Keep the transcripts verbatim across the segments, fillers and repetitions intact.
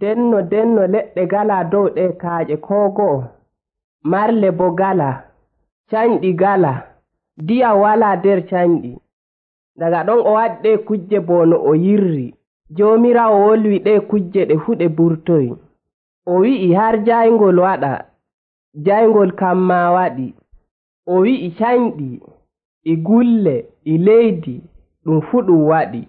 denno denno leɗɗe gala dow ɗe kaaƴe koo go'o, marle bo gala, cañɗi gala, ndiyam walaa nder cañɗi. Daga ɗon o waɗi ɗe kujje boo no o yirri. Joomiraawo wolwi ɗe kujje ɗe fuu ɗe burtoyi. O wi'i har jayngol waɗa, jayngol kam maa waɗi. O wi'i cañɗi, e gulle, e leydi, ɗum fuu ɗum waɗi.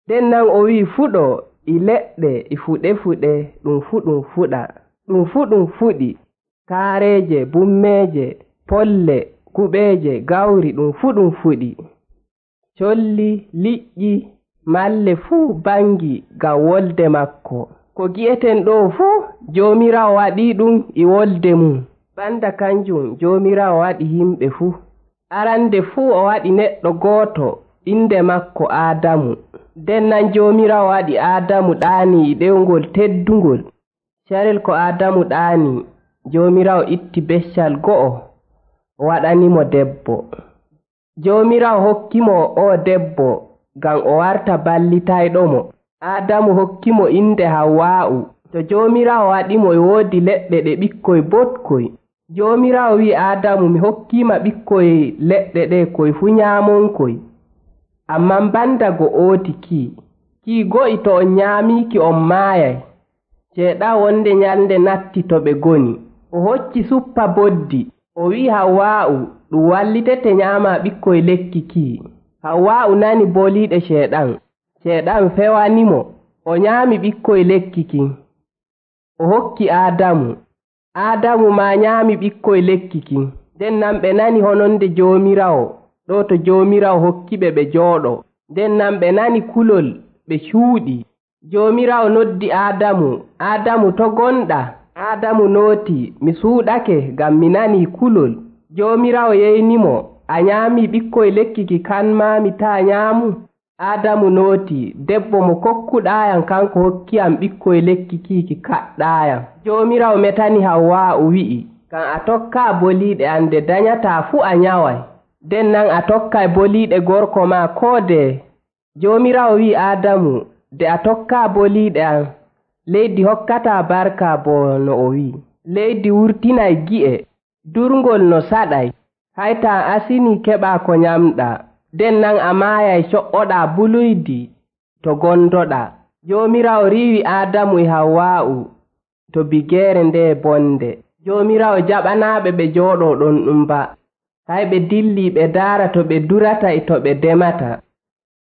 Nden nan o wi'i fuɗo, e leɗɗe, e fuɗe-fuɗe, ɗum fuu ɗum fuɗa. Ɗum fuu ɗum fuɗi. Kaareeje, bummeeje, polle, kuɓeeje, gawri, ɗum fuu ɗum fuɗi. Colli, liƴƴi, malle fuu bangi ngam wolde makko. Ko gi'eten ɗo fuu Joomiraawo waɗii ɗum e wolde mum. Banda kanjum Joomiraawo waɗi yimɓe fuu. Arande fuu o waɗi neɗɗo gooto inde makko Aadamu. Nden nan Joomiraawo waɗi Aadamu ɗaani e ɗewngol teddungol. Carel ko Aadamu ɗaani, Joomiraawo itti beccal go'o o waɗanimo debbo. Joomiraawo hokkimo o debbo ngam o warta ballitayɗomo. Aadamu hokkimo inde Hawwaa'u. To Joomiraawo waɗimo e woodi leɗɗe ɗe ɓikkoy boɗkoy. Joomiraawo wi'i Aadamu mi hokkiima ɓikkoy leɗɗe ɗe koy fuu nyaamonkoy. Amman banda go ooti kii. Kii go'i to on nyaamiiki on maayay. Ceeɗan wonde nyalnde natti to ɓe ngoni. O hocci suppa boddi. O wi'i Hawwaa'u ɗum wallitete nyaama ɓikkoy lekki kii. Hawwaa'u nani boliiɗe ceeɗan. Ceeɗan fewanimo. O nyaami ɓikkoy lekki kin. O hokki Aadamu. Aadamu maa nyaami ɓikkoy lekki kin. Nden nan ɓe nani hononde Joomiraawo. Ɗo to Joomiraawo hokkiɓe ɓe jooɗo. Nden nan ɓe nani kulol ɓe cuuɗi. Joomiraawo noddi Aadamu. Aadamu to gonɗa? Aadamu nooti mi suuɗake ngam mi nanii kulol. Joomiraawo yeynimo a nyaami ɓikkoy lekki ki kan maa mi taa nyaamu. Aadamu nooti debbo mo kokkuɗaayam kanko hokkiyam ɓikkoy lekki kiiki kaɗɗaayam. Joomiraawo metani Hawwaa'u wi'i kan a tokkaa boliiɗe an nde danyataa fuu a nyaway. Nden nan a tokkay boliiɗe gorko maa koo de. Joomiraawo wi'i Aadamu de a tokkaa boliiɗe an leydi hokkataa barka boo no o wi'i. Leydi wurtinay gi'e durngol no saɗay. Hayta asini keɓaa ko nyamɗaa. Nden nan a maayay co'oɗaa buluydi to gondoɗaa. Joomiraawo riiwi Aadamu e Hawwaa'u to bigeere nde bonde. Joomiraawo jaɓanaaɓe ɓe jooɗoo ɗon ɗum ba. Hay ɓe dilli ɓe daara to ɓe durata e to ɓe demata.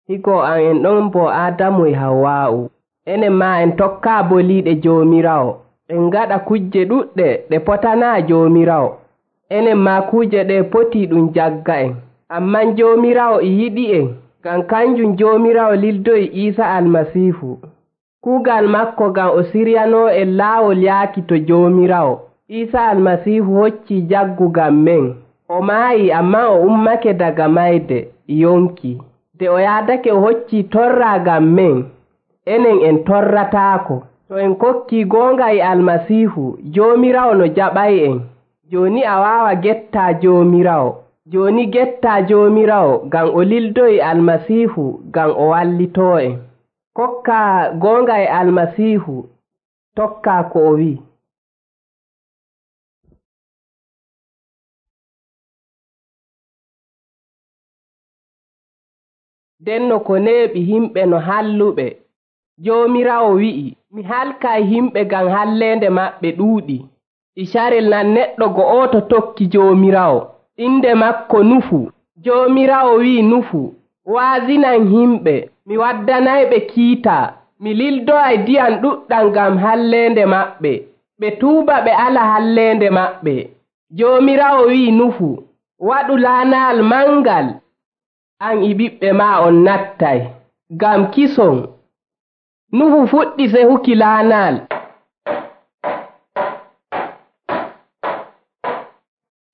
Higo an en ɗon bo Aadamu e Hawwaa'u. Enen maa en tokkaa boliiɗe Joomiraawo. En ngaɗa kujje ɗuɗɗe ɗe potanaa Joomiraawo. Enen maa kuje ɗe poti ɗum jagga en. Amman Joomiraawo e yiɗi en ngam kanjum Joomiraawo lildoyi Iisa Almasiihu. Kuugal makko ngam o siryanoo en laawol yaaki to Joomiraawo. Iisa Almasiihu hoccii jaggu ngam men. O maayi amman o ummake daga mayde yonki. De o yaadake o hoccii torraa ngam men. Enen en torrataako. To en kokkii goonga e Almasiihu, Joomiraawo no jaɓay en. Jooni a waawa gettaa Joomiraawo. Jooni gettaa Joomiraawo ngam o lildoyi Almasiihu ngam o wallitoo en. Kokkaa goonga e Almasiihu, tokkaa ko o wi'i. Denno ko neeɓi himɓe no halluɓe. Joomiraawo wi'i, mi halkay himɓe ngam halleende maɓɓe ɗuuɗi. E carel nan neɗɗo go'oto tokki Joomiraawo. Inde makko Nufu. Joomiraawo wi'i Nufu, waazinan himɓe, mi waddanayɓe kiita, mi lildoyay ndiyam ɗuɗɗam ngam halleende maɓɓe. Ɓe tuuba ɓe ala halleende maɓɓe. Joomiraawo wi'i Nufu, waɗu laanal mangal. An e ɓiɓɓe maa on nattay, ngam kison. Nuhu fuɗɗi sehuki laanal.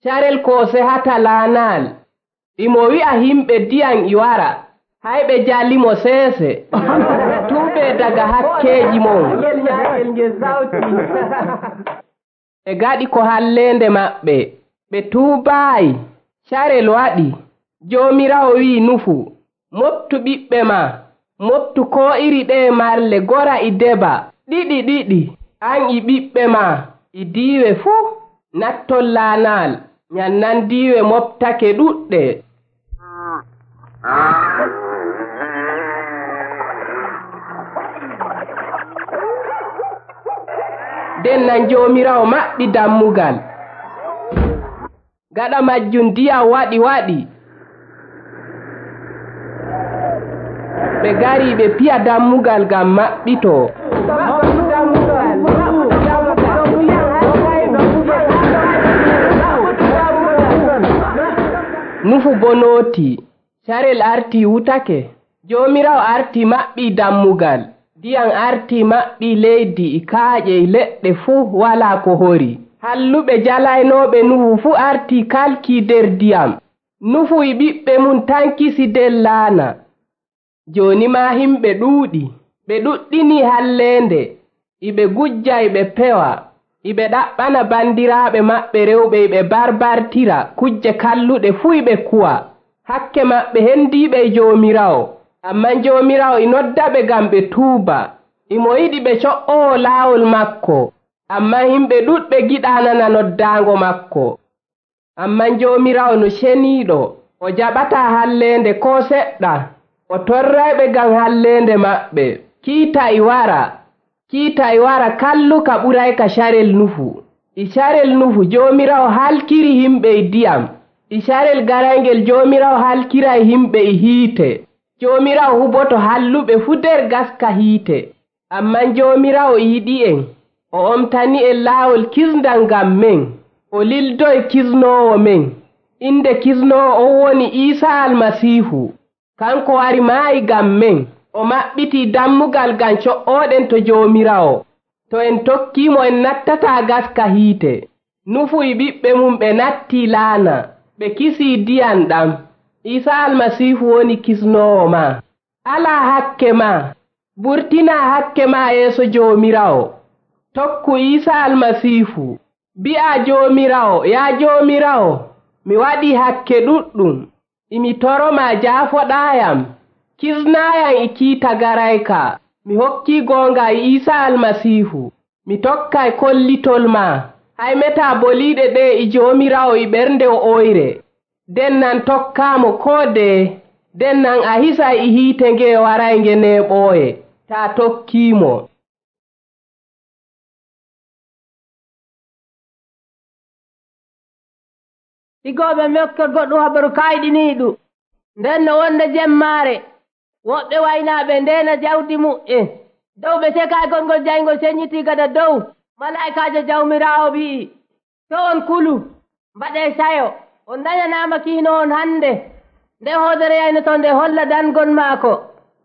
Carel ko sehata laanal, imo wi'a himɓe ndiyam e wara, hay ɓe jalimo seese. Tuube daga hakkeeji mon. Ɓe gaɗi ko halleende maɓɓe, ɓe tuubaayi. Carel waɗi. Joomiraawo wi'i Nufu, moftu ɓiɓɓe ma, moftu koo iri ɗe marle gora e deba. ɗiɗi ɗiɗi an e ɓiɓɓe ma e diiwe fuu nattol laanal nyannan diiwe moftake ɗuɗɗe. Den nan Joomiraawo maɓɓi dammugal. Gaɗa majjum ndiyam waɗi waɗi. Ɓe gari ɓe piya dammugal ngam maɓɓito. Nufu bo nooti. Carel arti wutake. Joomiraawo arti maɓɓi dammugal. Ndiyam arti maɓɓi leydi e kaaƴe e leɗɗe fuu walaa ko hori. Halluɓe jalaynooɓe Nuhu fuu arti kalki der ndiyam. Nuhu e ɓiɓɓe mum tankisi der laana. Jooni ma himɓe ɗuuɗi. Ɓe ɗuɗɗini halleende. Iɓe gujja iɓe pewa. Iɓe ɗaɓɓana bandiraaɓe maɓɓe rewɓe iɓe barbartira kujje kalluɗe fuu iɓe kuwa. Hakke maɓɓe hendiiɓe e Joomiraawo. Amman Joomiraawo e noddaɓe ngam ɓe tuuba. Imo yiɗi ɓe co'oo laawol makko. Amman himɓe ɗuɗɓe giɗaa nana noddaango makko. Amman Joomiraawo no ceniiɗo, o jaɓataa halleende koo seɗɗa. O torrayɓe ngam halleende maɓɓe. Kiita e wara. Kiita e wara kalluka ɓurayka carel Nuhu. E carel Nuhu Joomiraawo halkiri himɓe e ndiyam. E carel garayngel Joomiraawo halkiray himɓe e hiite. Joomiraawo huboto halluɓe fuu der gaska hiite. Amman Joomiraawo yiɗi'en. O omtani en laawol kisndal ngam men. O lildoy kisnoowo men. Inde kisnoowo on woni Iisaa Almasiihu. Kanko wari maayi ngam men. O maɓɓitii dammugal ngam co'ooɗen to Joomiraawo. To en tokkiimo en nattataa gaska hiite. Nuhu e ɓiɓɓe mum ɓe nattii laana. Ɓe kisii ndiyam ɗam. Iisaa Almasiihu woni kisnoowo ma. Alaa hakke ma. Burtinaa hakke ma yeeso Joomiraawo. Tokku Iisaa Almasiihu. Bi'a Joomiraawo, yaa Joomiraawo, mi waɗii hakke ɗuɗɗum. Imi toroma jaafoɗaayam. Kisnaayam e kiita garayka. Mi hokkii goonga e Iisaa Almasiihu. Mi tokkay kollitol ma. Hay metaa boliiɗe ɗe e Joomiraawo e ɓernde oyre. Den nan tokkaamo koo deye. Den nan a hisa e hiite nge waraynge neeɓooye. Taa tokkiimo. Igooɓe mekkol goɗɗum habaru kayɗiniiɗum. Nden no wonde jemmaare woɓɓe waynaaɓe ndeena jawdi mu'en dow ɓe tekay gongol jayngol seññitii gada dow. Malaa'ikaajo Jawmiraawo wi'i, to on kulu mbaɗee sayo, on dañanaama kiino on hannde. Nde hoodere yaynoto nde holla dangon maako.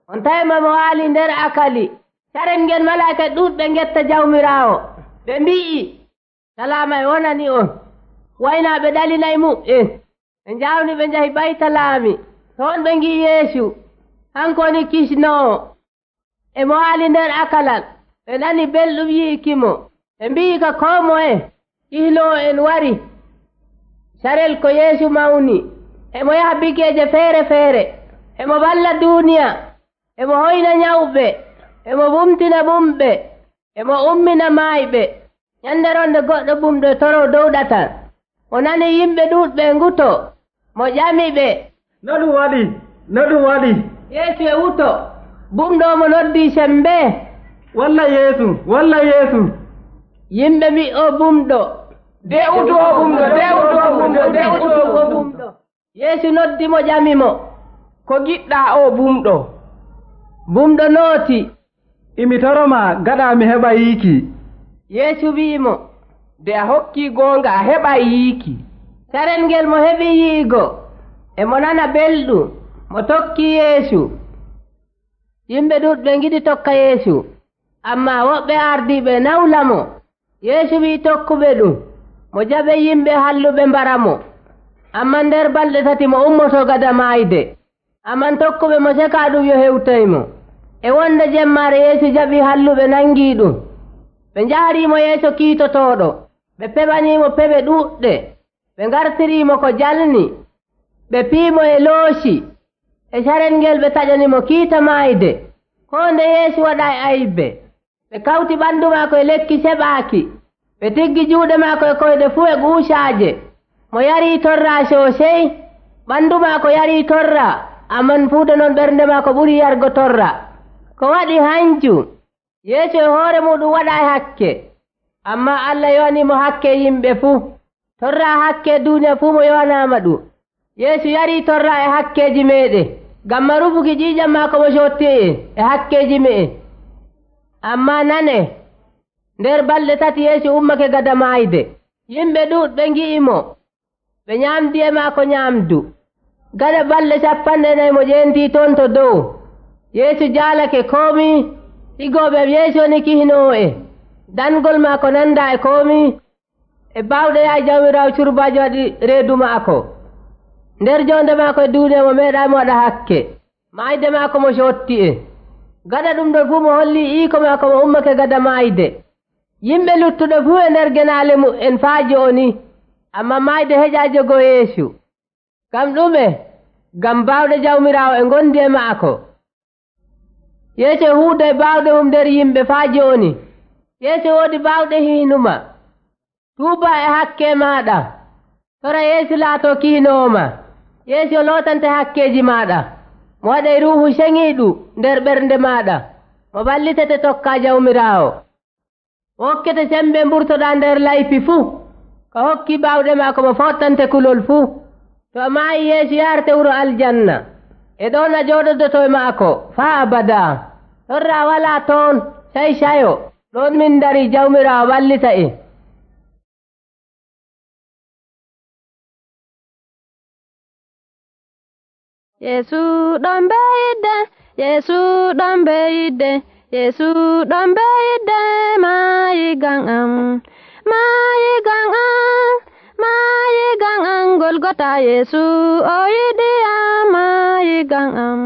On tawima mo waali nder akali. Carel ngel malaa'ika ɗuuɗɓe ngetta Jawmiraawo. Ɓe mbi'i, salaama e wonani on. Waynaaɓe ɗalinay mu'en. Ɓe njawni ɓe njahi Baytalaami. Toon ɓe ngi'i Yeesu. Hanko woni kisnoowo. E mo waali nder akalal. Ɓe nani belɗum yi'ikimo. Ɓe mbi'i ka koo moye kihloowo en wari. Carel ko Yeesu mawni. Emo yaha bigeeje feere feere. Emo balla duuniya. Emo hoyna nyawɓe. Emo bumtina bumɓe. Emo ummina maayɓe. Nyande ronde goɗɗo bumɗo torow dow ɗatal. O nani yimɓe ɗuuɗɓe nguto. Mo ƴami ɓe, no ɗum waɗi no ɗum waɗi Yeesu e wuto. Bumɗo mo noddii sembe, walla Yeesu walla Yeesu. Yimɓe mbi o bumɗo, de uto o bumɗo de uto o bumɗo de uto o bumɗo. Yeesu noddi mo ƴami mo, ko giɗɗaa o bumɗo? Bumɗo nooti, imi toroma gaɗa mi heɓa yiiki. Yeesu wi'imo, de a hokkii goonga a heɓa yiiki. Carel ngel mo heɓi yi'igo e mo nana belɗum, mo tokkii Yeesu. Yimɓe ɗuuɗɓe ngiɗi tokka Yeesu, amma woɓɓe ardiiɓe nawla mo. Yeesu wi'i tokkuɓe ɗum, mo jaɓe yimɓe halluɓe mbara mo. Amman nder balɗe tati mo ummoto gada maayde. Amman tokkuɓe mo sekaa ɗum yo hewtaymo. E wonde jemmaare Yeesu jaɓi halluɓe nangii ɗum. Ɓe njahariimo yeeso kiitotooɗo. Ɓe peɓaniimo peɓe ɗuuɗɗe. Ɓe ngartiriimo ko jalni. Ɓe piimo e looci. E carel ngel ɓe taƴanimo kiita maayde. Koo nde Yeesu waɗa e aybe. ɓe kawti ɓanndu maako e lekki seɓaaki, ɓe tiggi juuɗe maako e koyɗe fuu e guucaaje. Mo yarii torra soosey, ɓanndu maako yarii torra, amman fuu de non ɓernde maako ɓurii yargo torra. Ko waɗi hanjum, Yeesu e hoore muɗum waɗaa hakke, ammaa Allah yowaniimo hakke yimɓe fuu. Torra hakke duuniya fuu mo yowanaama ɗum. Yeesu yarii torra e hakkeeji meeɗen, ngam ma rufuki ƴiiƴam maako mo cotti'en e hakkeeji me'en. Ammaa nane, nder balɗe tati Yeesu ummake gada maayde. Yimɓe ɗuuɗɓe ngi'imo, ɓe ñaamdi e maako ñaamdu. Gaɗa balɗe sappanɗe nayi mo ƴeentii toon to dow. Yeesu jaalake koomii, higooɓe Yeesu woni kihinoo'e. Dangol maako nandaa e koomii, e baawɗe yaay Jawmiraawo curbaajo waɗi reedu maako. Nder joonde maako e duuniya mo meeɗaamo waɗa hakke, maayde maako mo cotti'en. Gaɗa ɗum ɗon fuu mo hollii iiko maako mo ummake gada maayde. Yimɓe luttuɗo fuu e nder genaale mu'en faa jooni, ammaa maayde heƴaa jogo Yeesu. Ngam ɗume? Ngam baawɗe Jawmiraawo e ngondi e maako. Yeesu e huuda e baawɗe mum nder yimɓe faa jooni. Yeesu woodi baawɗe hiinuma. Tuuba e hakke maaɗa, tora Yeesu laatoo kihinoowo ma. Yeesu lootante hakkeeji maaɗa, mo waɗay Ruuhu Ceŋiiɗu nder ɓernde maaɗa, mo ballitete tokkaa Jawmiraawo. Hokkete sembe mburtoɗaa nder layfi fuu, ko hokkii baawɗe maako mo fottante kulol fuu. To a maayi Yeesu yaarte wuro aljanna, e ɗoon a jooɗodoto e maako faa abadaa. Torra walaa toon, sey cayo, ɗoon min darii Jawmiraawo ballita en. Yeesu ɗon beyidde, Yeesu ɗon beyidde, Yeesu ɗon beyidde, maayi ngam am, maayi ngam am, maayi ngam am, Golgota Yeesu o yiɗi am, maayi ngam am.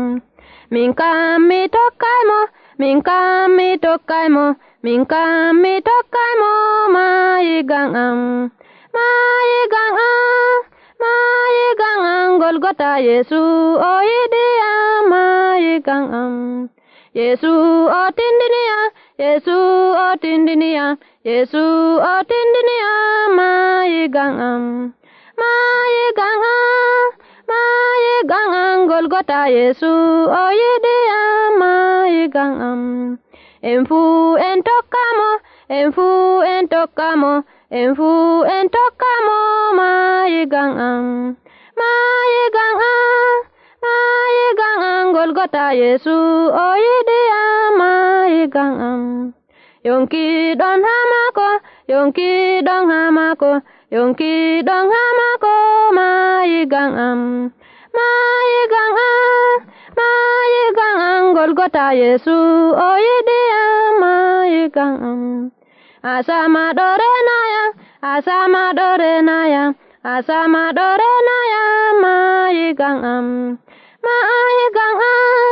Min kam mi tokkay mo, min kam mi tokkay mo, min kam mi tokkay mo, maayi ngam am, maayi ngam am, maayi ngam am, Golgota Yeesu o yiɗi am, maayi ngam am. Yeesu o tindini am, Yeesu o tindini am, Yeesu o tindini am, maayi ngam am, maayi ngam am, maayi ngam am, Golgota Yeesu o yiɗi am, maayi ngam am. En fuu en tokkamo, en fuu en tokkamo, en fuu en tokkamo, maayi ngam am, maayi ngam am, maayi ngam am, Golgota Yeesu o yiɗi am, maayi ngam am. Yonkiiɗon haa maako, yonkiiɗon haa maako, yonkiiɗon haa maako, maayi ngam am, maayi ngam am, maayi ngam am, Golgota Yeesu o yiɗi am, maayi ngam am. Asama ɗo renayam, asama ɗo renayam, asama ɗo renayam, maayi ngam am, maayi ngam am,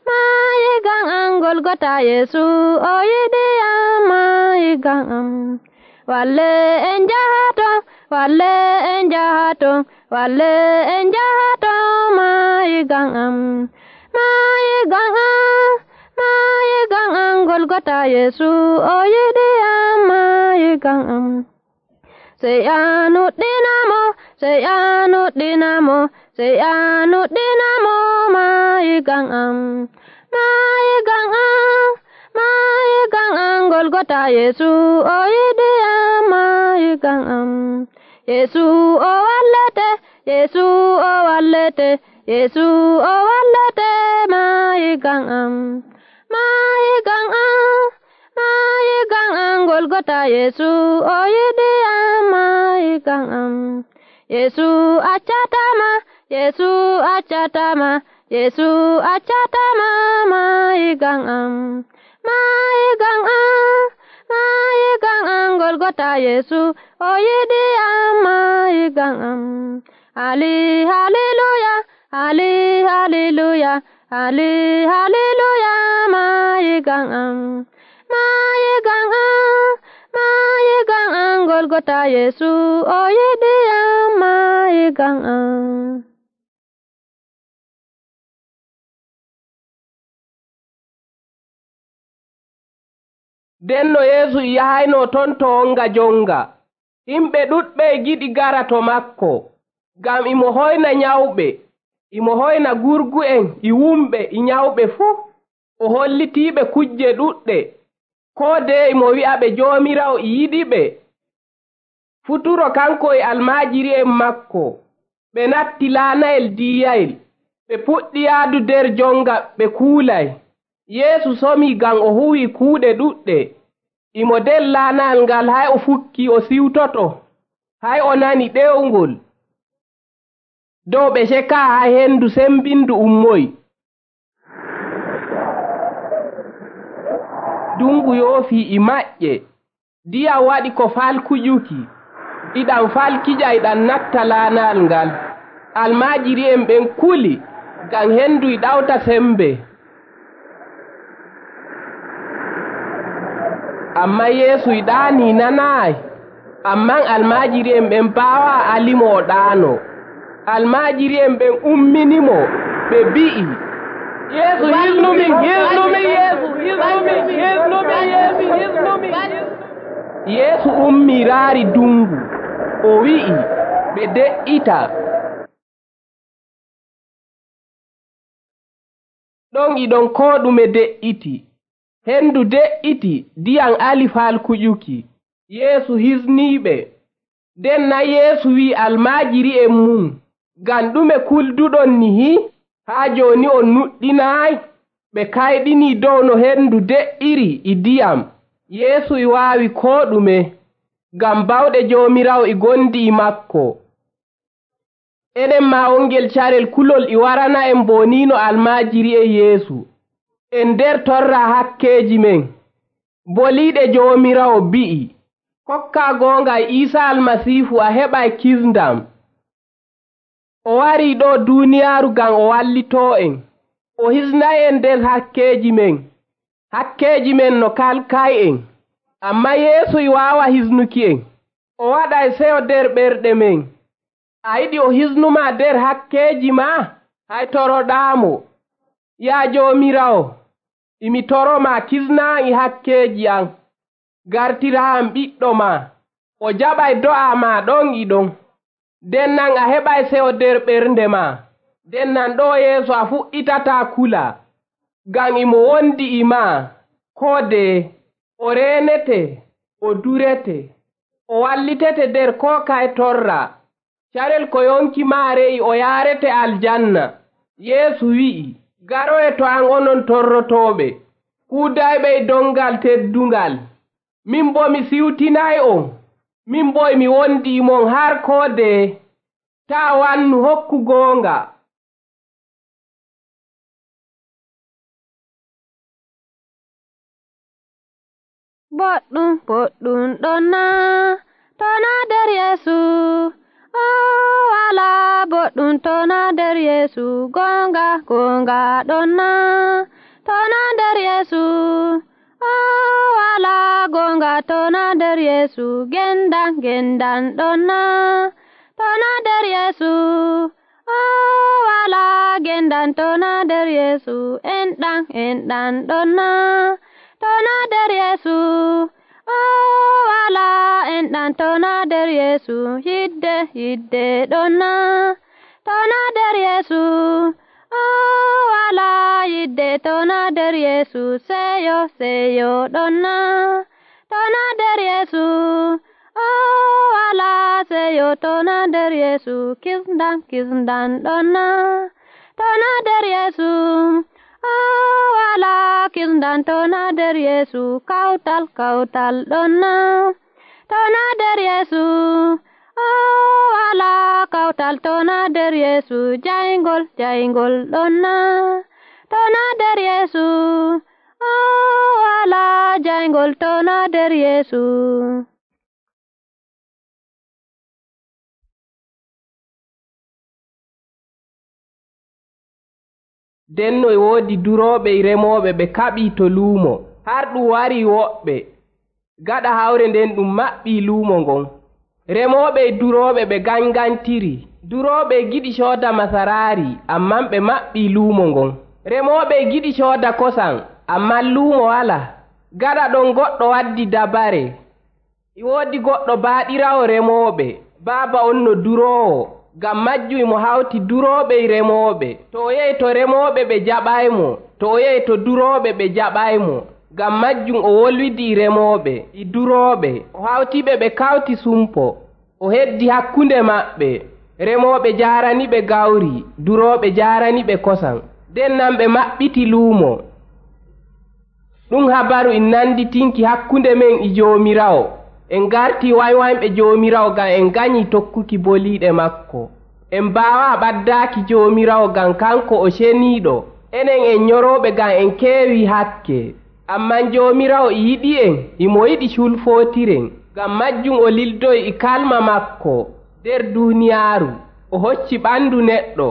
maayi ngam am, Golgota Yeesu o yiɗi am, maayi ngam am. Walle en jahato, walle en jahato, walle en jahato, maayi ngam am, maayi ngam am, maayi ngam am, Golgota Yeesu o yiɗi am, maayi ngam am. Sey a nuɗɗinamo, sey a nuɗɗinamo, sey a nuɗɗinamo, maayi ngam am, maayi ngam am, maayi ngam am, Golgota Yeesu o yiɗi am, maayi ngam am. Yeesu o wallete, Yeesu o wallete, Yeesu o wallete, maayi ngam am, maayi ngam am, maayi ngam am, Golgota Yeesu o yiɗi am, maayi ngam am. Yeesu accatama, Yeesu accatama, Yeesu accatama, maayi ngam am, maayi ngam am, maayi ngam am, Golgota Yeesu o yiɗi am, maayi ngam am. Ali hallelujah, Ali hallelujah, Ali hallelujah, maayi ngam am, maayi ngam am, maayi ngam am, Golgota Yeesu o yiɗi am, maayi ngam am. nden no Yeesu yahayno ton to wonga jonga. Himɓe ɗuɗɓe giɗi gara to makko, ngam imo hoyna nyawɓe, imo hoyna gurgu'en e wumɓe e nyawɓe fuu. O hollitiiɓe kujje ɗuɗɗe, koo deye imo wi'aɓe Joomiraawo e yiɗiɓe. Futuro kanko e almaajiri'en makko ɓe natti laanayel diiyayel, ɓe puɗɗi yaadu nder jonga ɓe kuulay. Yeesu somii ngam o huwii kuuɗe ɗuɗɗe. Imo nder laanayel ngal hay o fukkii o siwtoto, hay o nani ɗewngol. Dow ɓe cekaa hay henndu sembindu ummoyi. Dungu yoofii e maƴƴe, ndiyam waɗi ko falkuƴuki, iɗam falkija iɗam natta laanayel ngal. Almaajiri'en ɓen kuli, ngam henndu e ɗawta sembe. Amma Yeesu e ɗaanii nanaayi, amman almaajiri'en ɓen mbaawaa alimo o ɗaano. Almaajiri'en ɓen umminimo, ɓe mbi'i, Yeesu hisnumin, hisnumin Yeesu, hisnumin, hisnumin Yeesu, hisnumin. Yeesu ummii raari dungu, o wi'i, ɓe de'ita. Ɗon e ɗon koo ɗume de'iti. Henndu de'iti, ndiyam ali falkuƴuki. Yeesu hisniiɓe. Nden na Yeesu wi'i almaajiri'en mum, ngam ɗume kulduɗon nihi? Haa jooni on nuɗɗinaayi? Ɓe kayɗinii dow no henndu de'iri e ndiyam. Yeesu e waawi koo ɗume, ngam bawɗe Joomiraawo e gondi e makko. Enen maa wongel carel kulol e warana en boniino almaajiri'en Yeesu. En nder torra hakkeeji men. Boliiɗe Joomiraawo bi'i, kokkaa goonga e Iisaa Almasiihu a heɓay kisndam. O warii ɗo duuniyaaru ngam o wallitoo en. O hisnay en nder hakkeeji men. Hakkeeji men no kalkay en. Amma Yeesu e waawa hisnuki en. O waɗay seyo nder ɓerɗe men. A yiɗi o hisnumaa nder hakkeeji maa? Hay toroɗaamo. Yaa Joomiraawo, imi toromaa kisnaa e hakkeeji am. Gartiraam ɓiɗɗo maa. O jaɓay do'a maa ɗon e ɗon. Nden nan a heɓay seyo nder ɓernde maa. Nden nan ɗo Yeesu a fuɗɗitataa kula, ngam imo wondi e maa koo deye. O reenete, o durete, o wallitete nder koo kaye torra. Carel ko yonki maa re'i o yaarete aljanna. Yeesu wi'i, garoye to an onon torrotooɓe, kuudayɓe e dongal teddungal. Min bo mi siwtinay on, min bo mi wondi mon har koo deye. Taa wannu hokku goonga. Boɗɗum boɗɗum ɗonna, tona nder Yeesu. O wala boɗɗum tona nder Yeesu. Gonga gonga ɗonna, tona nder Yeesu. O wala gonga tona nder Yeesu. Gendan gendan ɗonna, tona nder Yeesu. O wala gendan tona nder Yeesu. Enɗan enɗan ɗonna, tona nder Yeesu. O wala enɗan tona nder Yeesu. Yidde yidde ɗonna, tona nder Yeesu. O wala yidde tona nder Yeesu. Seyo seyo ɗonna, tona nder Yeesu. O wala seyo tona nder Yeesu. Kisndan kisndan ɗonna, tona nder Yeesu. O wala kisndan tona nder Yeesu. Kawtal kawtal ɗonna, tona nder Yeesu. O wala kawtal tona nder Yeesu. Jayngol jayngol ɗonna, tona nder Yeesu. O wala jayngol tona nder Yeesu. Denno e woodi durooɓe e remooɓe ɓe kaɓii to luumo, har ɗum warii woɓɓe. Gaɗa hawre nden ɗum maɓɓii luumo ngon. Remooɓe e durooɓe ɓe gangantiri. Durooɓe giɗi cooda masaraari, amman ɓe maɓɓii luumo ngon. Remooɓe giɗi cooda kosam, amman luumo wala. Gaɗa ɗon goɗɗo waddi dabare. E woodi goɗɗo baaɗirawo remooɓe, baaba on no duroowo, ngam majjum mo hawti durooɓe e remooɓe. To o yehi to remooɓe ɓe jaɓaymo, to o yehi to durooɓe ɓe jaɓaymo, ngam majjum o wolwidi e remooɓe e durooɓe. O hawtiɓe ɓe kawti sumpo, o heddi hakkunde maɓɓe. Remooɓe jaaraniɓe gawri, durooɓe jaaraniɓe kosam. nden nan ɓe maɓɓiti luumo. Ɗum habaru en nanditinki hakkunde men e Joomiraawo. En garti waywayɓe Joomiraawo ngam en ganyi tokkuki boliiɗe makko. En mbaawa ɓaddaaki Joomiraawo ngam kanko o ceniiɗo. Enen en nyorooɓe ngam en keewi hakke. Amman Joomiraawo e yiɗi en, imo yiɗi culfootiren. Ngam majjum o lildoyi e kalma makko nder duuniyaaru. O hocci ɓandu neɗɗo.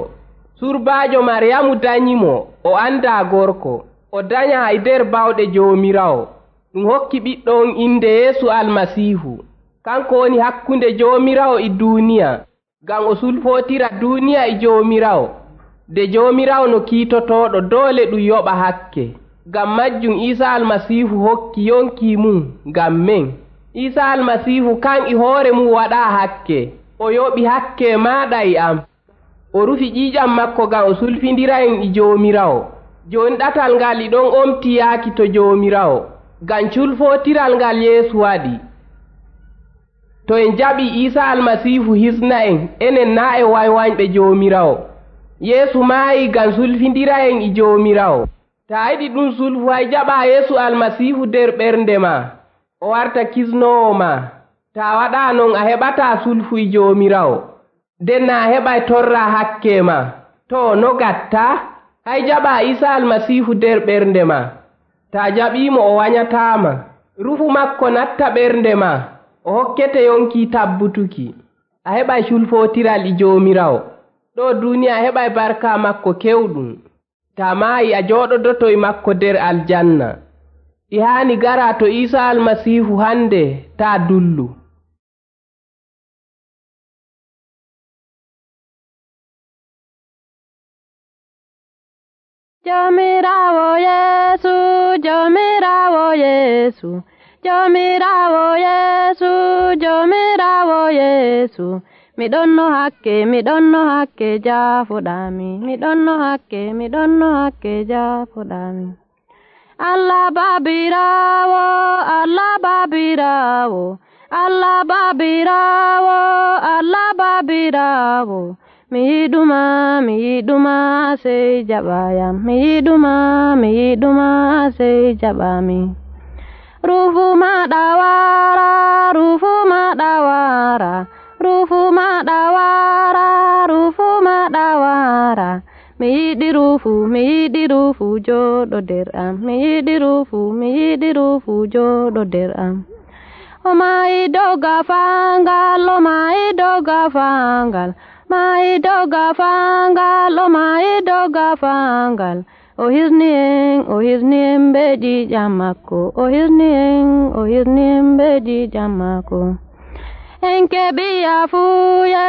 Surbaajo Maryamu danyimo, o anda gorko. O danya e nder bawɗe Joomiraawo. Ɗum hokki ɓiɗɗo on inde Yeesu Almasiihu. Kanko woni hakkunde Joomiraawo e duuniya, ngam o sulfootira duuniya e Joomiraawo. De Joomiraawo no kiitotooɗo doole ɗum yoɓa hakke. Ngam majjum Iisa Almasiihu hokki yonki mum ngam men. Iisa Almasiihu kan e hoore mum waɗaa hakke. O yoɓi hakke maaɗa e am. O rufi ƴiiƴam makko ngam o sulfindira en e Joomiraawo. Jooni ɗatal ngal e ɗon omti yaaki to Joomiraawo, ngam culfootiral ngal Yeesu waɗi. To en jaɓi Iisa Almasiihu hisna en, enen naa e waywanɓe Joomiraawo. Yeesu maayi ngam sulfindira en e Joomiraawo. Ta yiɗi ɗum sulfu hay jaɓa Yeesu Almasiihu nder ɓernde ma, o warta kisnoowo ma. Ta waɗa non a heɓata sulfu e Joomiraawo, nden na a heɓay torra hakke ma. To no gatta? Hay jaɓa Iisa Almasiihu nder ɓernde ma. Ta jaɓimo o wanyatama. Rufu makko natta ɓernde ma, o hokkete yonki tabbutuki. A heɓay culfootiral e Joomiraawo. Ɗo duniya a heɓay barka makko kewɗum. Ta maayi a jooɗodoto e makko nder aljanna. E haani gara to Iisa Almasiihu hande ta dullu. Joomiraawo Yeesu, Joomiraawo Yeesu, Joomiraawo Yeesu, Joomiraawo Yeesu. Mi ɗon no hakke, mi ɗon no hakke jaafoɗaami, mi ɗon no hakke, mi ɗon no hakke jaafoɗaami. Allah Baabiraawo, Allah Baabiraawo, Allah Baabiraawo, Allah Baabiraawo. Mi yiɗuma, mi yiɗuma sey jaɓayam, mi yiɗuma, mi yiɗuma sey jaɓami. Ruufu maɗa wara, ruufu maɗa wara, ruufu maɗa wara, ruufu maɗa wara. Mi yiɗi ruufu, mi yiɗi ruufu jooɗo nder am, mi yiɗi ruufu, mi yiɗi ruufu jooɗo nder am. O maayi dow gafangal, o maayi dow gafangal, maayi dow gafangal, o maayi dow gafangal. O hisni en, o hisni en be ƴiiƴam makko, o hisni en, o hisni en be ƴiiƴam makko. En keɓi yafuye,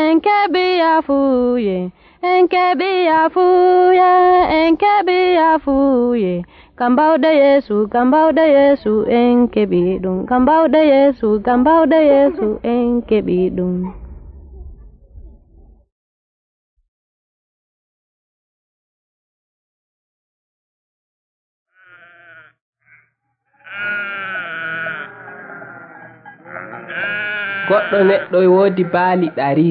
en keɓi yafuye, en keɓi yafuye, en keɓi yafuye. Ngam bawɗe Yeesu, ngam bawɗe Yeesu en keɓi ɗum, ngam bawɗe Yeesu, ngam bawɗe Yeesu en keɓi ɗum. Goɗɗo neɗɗo e woodi baali ɗari.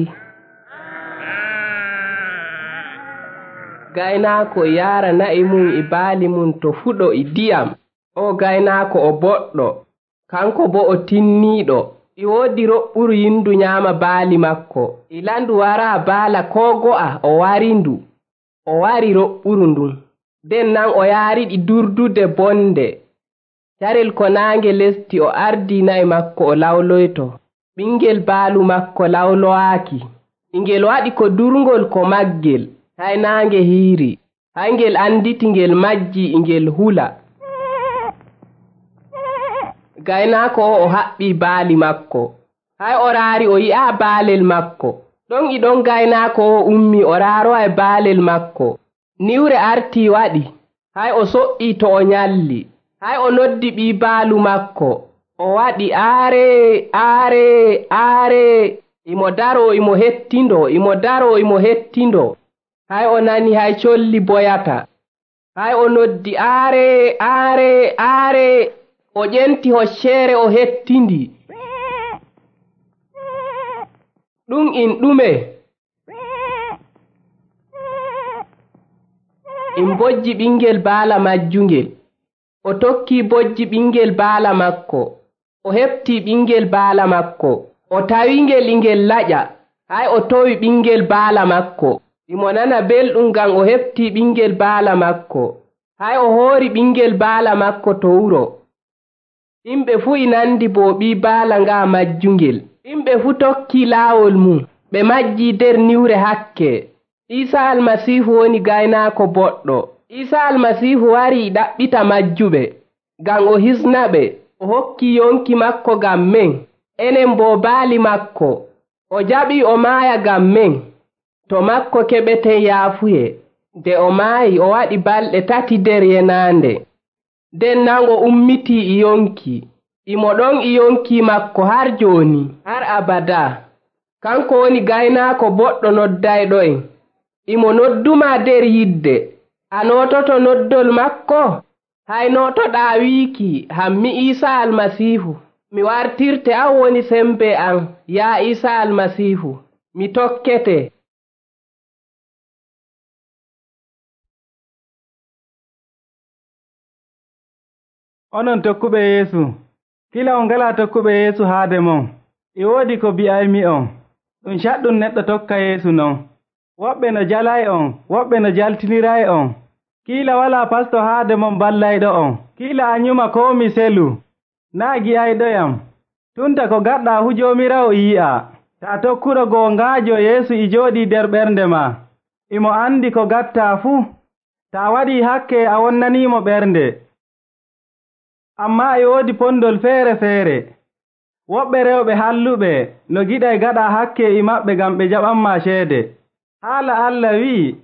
Gaynaako yaara na'i mum e baali mum to fuɗo e ndiyam. O gaynaako o boɗɗo, kanko bo o tinniiɗo. E woodi roɓɓuru yindu nyaama baali makko. E landu wara baala koo go'a o wari ndu. O wari roɓɓuru ndun. Nden nan o yaariɗi durdude bonde. Carel ko naange lesti o ardi na'i makko o lawloyto. Ɓingel baalu makko lawlowaaki. Ingel waɗi ko durngol ko maggel. Hay naange hiiri. Hay ngel anditi ngel majji ingel hula. Gaynaako o o haɓɓi baali makko. Hay o raari o yi'a baalel makko. Ɗon e ɗon gaynaako o ummi o raaro e baalel makko. Niwre arti waɗi. Hay o so'i to o nyalli. hay o noddi ɓii baalu makko o waɗi aare aare aare imo daro imo hettindo imo daro imo hettindo hay o nani hay colli boyata hay o noddi aare aare aare o ƴenti hocceere o hettindi ɗum in ɗume in bojji ɓingel baala majjungel o tokki bojji ɓingel baala makko o hefti ɓingel baala makko o tawingel ingel laƴa hay o towi ɓingel baala makko imo nana belɗum ngam o hefti ɓingel baala makko hay o hoori ɓingel baala makko to wuro yimɓe fuu e nandi bo ɓii baala nga majjungel yimɓe fuu tokki laawol mum ɓe majji nder niwre hakke Iisa almasiihu woni gaynaako boɗɗo Iisa almasiihu warii ɗaɓɓita majjuɓe ngam o hisnaɓe o hokki yonki makko ngam men enen bo baali makko o jaɓii o maaya ngam men to makko keɓeten yaafuye nde o maayi o waɗi balɗe tati nder yenaande nden nan o ummitii e yonki imo ɗon e yonki makko har jooni har abada kanko woni gaynaako boɗɗo noddayɗo'en imo nodduma nder yidde a nototo noddol makko hay notoɗaa wiiki hammi Iisa almasiihu mi wartirte an woni sembe an yaa Iisa almasiihu mi tokkete onon tokkuɓe Yeesu kila on ngala tokkuɓe Yeesu haade mon e woodi ko bi'aymi on ɗum caɗɗum neɗɗo tokka Yeesu non woɓɓe no jalay on woɓɓe no jaltiniray on kiila walaa pasto haade mon ballayɗo on kiila a nyuma koo mi selu naa gi'ayɗoyam tunta ko gaɗɗaa fu Joomiraawo e yi'a taa tokkuɗo goongaajo Yeesu e jooɗii nder ɓernde ma imo andi ko gattaa fuu taa waɗii hakke a wonnaniimo ɓernde ammaa e woodi pondol feere feere woɓɓe rewɓe halluɓe no giɗay gaɗaa hakke e maɓɓe ngam ɓe jaɓanmaa ceede haala Allah wi'i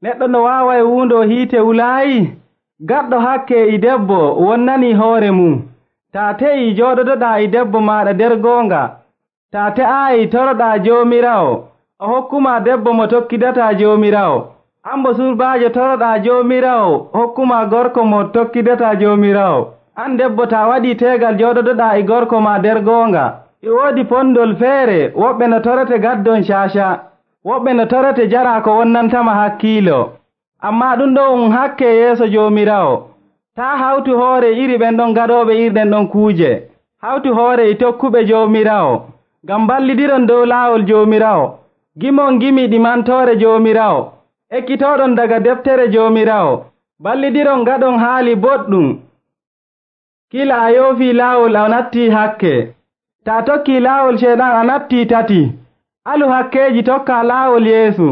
neɗɗo no waaway wuundo hiite wulaayi gaɗɗo hakke e debbo wonnanii hoore mum taa te'ii jooɗodoɗaa e debbo maaɗa nder goonga taa te'aayi toroɗaa Joomiraawo o hokkumaa debbo mo tokkidataa Joomiraawo ambo surbaajo toroɗaa Joomiraawo hokkumaa gorko mo tokkidataa Joomiraawo an debbo taa waɗii teegal jooɗodoɗaa e gorko maa nder goonga e woodi pondol feere woɓɓe no torete gaddon caaca woɓɓe no torete jaraa ko wonnantama hakkiilo ammaa ɗum ɗo um hakke yeeso Joomiraawo taa hawtu hoore iri ɓen ɗon gaɗooɓe irɗen ɗon kuuje hawtu hoore e tokkuɓe Joomiraawo ngam ballidiron dow laawol Joomiraawo gimon gimi ɗimantoore Joomiraawo ekkitooɗon daga deftere Joomiraawo ballidiron gaɗon haali boɗɗum kila a yoofii laawol a nattii hakke taa tokkii laawol ceeɗan a nattii tati alu hakkeeji tokkaa laawol Yeesu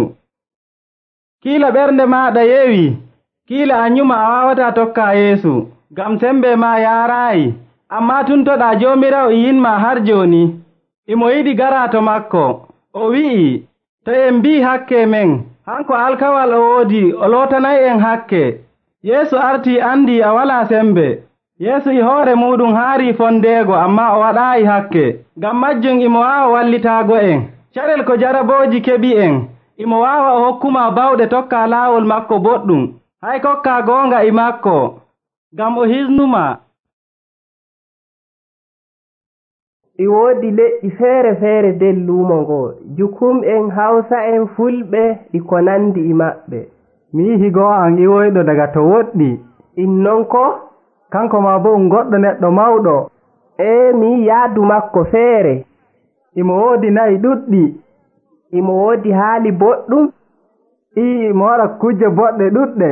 kiila ɓernde maaɗa yewi kiila a nyuma a waawataa tokkaa Yeesu ngam sembe maa yaaraayi ammaa tuntoɗaa Joomiraawo e yinmaa har jooni imo yiɗi garaa to makko o wi'i to en mbii hakke men hanko alkawal o woodi o lootanay'en hakke Yeesu artii andii a walaa sembe Yeesu e hoore muɗum haarii fondeego ammaa o waɗaayi hakke ngam majjum imo waawa wallitaago en carel ko jarabooji keɓi en imo waawa o hokkumaa bawɗe tokkaa laawol makko boɗɗum hay kokkaa goonga e makko ngam o hisnumaa e woodi leƴƴi feere feere nder luumo ngoo jukum en hawsa en fulɓe e ko nandi e maɓɓe mi yihi goo an iwoyɗo daga to woɗɗi innon ko kanko ma bo um goɗɗo neɗɗo mawɗo ee mi yaadu makko feere imo woodi nayi ɗuɗɗi imo woodi haali boɗɗum ii imo waɗa kujje boɗɗe ɗuɗɗe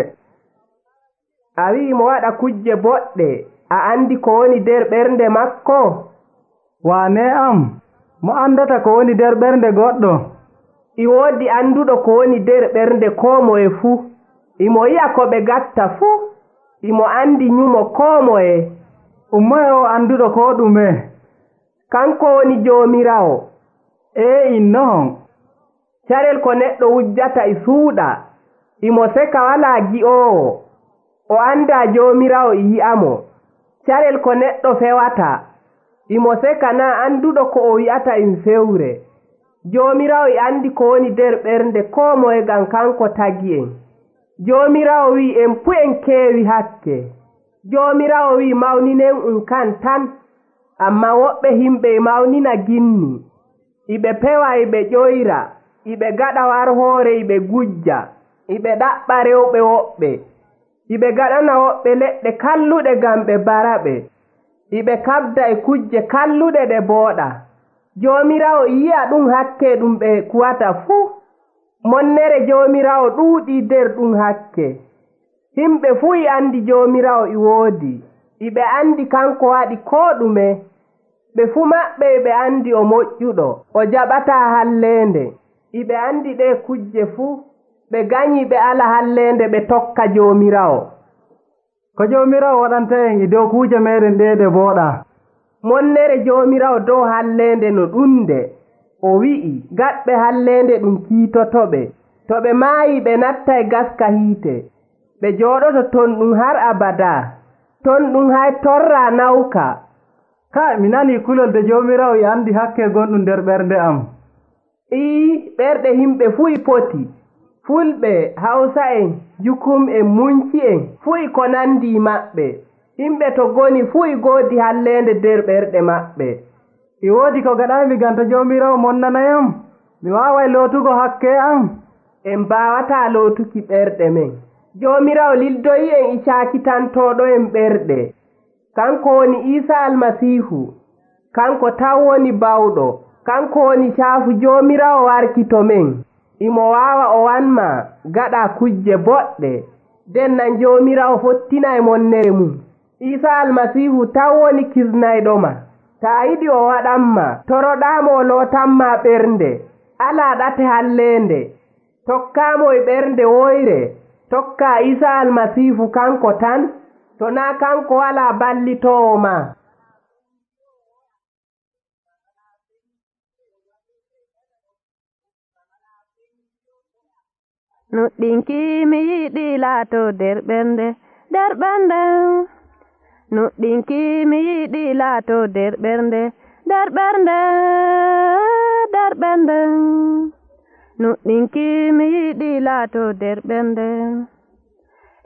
a wi'i imo waɗa kujje boɗɗe a andi ko woni nder ɓernde makko waane am mo andata ko woni nder ɓernde goɗɗo i woodi anduɗo ko woni nder ɓernde koo moye fuu imo yi'a ko ɓe gatta fuu imo andi nyumo koo moye ummoye o anduɗo ko ɗume kanko woni Joomiraawo ee innohon carel ko neɗɗo wujjata e suuɗa imo seka walaa gi'oowo o andaa Joomiraawo e yi'amo carel ko neɗɗo fewata imo seka naa anduɗo ko o wi'ata im fewre. Joomiraawo e andi ko woni nder ɓernde koo moye ngam kanko tagi en. Joomiraawo wi'i en fu en keewi hakke. Joomiraawo wi'i mawninen um kan tan, amma woɓɓe himɓe e mawnina ginni, iɓe pewa iɓe ƴoyra, iɓe gaɗa war hoore iɓe gujja, iɓe ɗaɓɓa rewɓe woɓɓe, iɓe gaɗana woɓɓe leɗɗe kalluɗe ngam ɓe baraɓe, iɓe kabda e kujje kalluɗe ɗe booɗa. Joomiraawo yi'a ɗum hakke ɗum ɓe kuwata fuu. Monnere Joomiraawo ɗuuɗii nder ɗum hakke. Himɓe fuu e andi Joomiraawo e woodi, iɓe andi kanko waɗi koo ɗume. Ɓe fuu maɓɓe ɓe andi o moƴƴuɗo, o jaɓataa halleende. Iɓe andi ɗe kujje fuu, ɓe ganyi ɓe ala halleende ɓe tokka Joomiraawo. Ko Joomiraawo waɗanta en e dow kuuje meeɗen ɗe ɗe booɗaa? Monnere Joomiraawo dow halleende no ɗunde, o wi'i gaɗɓe halleende ɗum kiitotoɓe, to ɓe maayi ɓe natta e gaska hiite, ɓe jooɗoto ton ɗum har abadaa, ton ɗum hay torraa nawka. Ka mi nanii kulol de Joomiraawo e andi hakke gonɗum nder ɓernde am. Ii, ɓerɗe himɓe fuu e poti, Fulɓe, Hawsa'en, Jukum'en, Munki'en fuu e ko nandi maɓɓe. Himɓe to goni fuu e goodi halleende nder ɓerɗe maɓɓe. E woodi ko gaɗaymi gam to Joomiraawo monnanayam, mi waaway lootugo hakke am. En mbaawataa lootuki ɓerɗe men. Joomiraawo lildoyi en e caakitantooɗo en ɓerɗe. Kanko woni Iisaa Almasiihu, kanko taw woni bawɗo, kanko woni caafu Joomiraawo warki to men. Imo waawa o wanma gaɗa kujje boɗɗe, nden nan Joomiraawo fottina e monnere mum. Iisaa Almasiihu taw woni kisnayɗoma. Taa yiɗi o waɗanma, toroɗaamo o lootanma ɓernde, alaa ɗate halleende, tokkaamo e ɓernde woyre, tokkaa Iisaa Almasiihu kanko tan, to naa kanko walaa ballitoowo ma. Nuɗɗinki mi yiɗi laatoo nder ɓernde, nder ɓernde. Nuɗɗinki mi yiɗi laatoo nder ɓernde, nder ɓernde, nder ɓernde. Nuɗɗinki mi yiɗi laatoo nder ɓernde.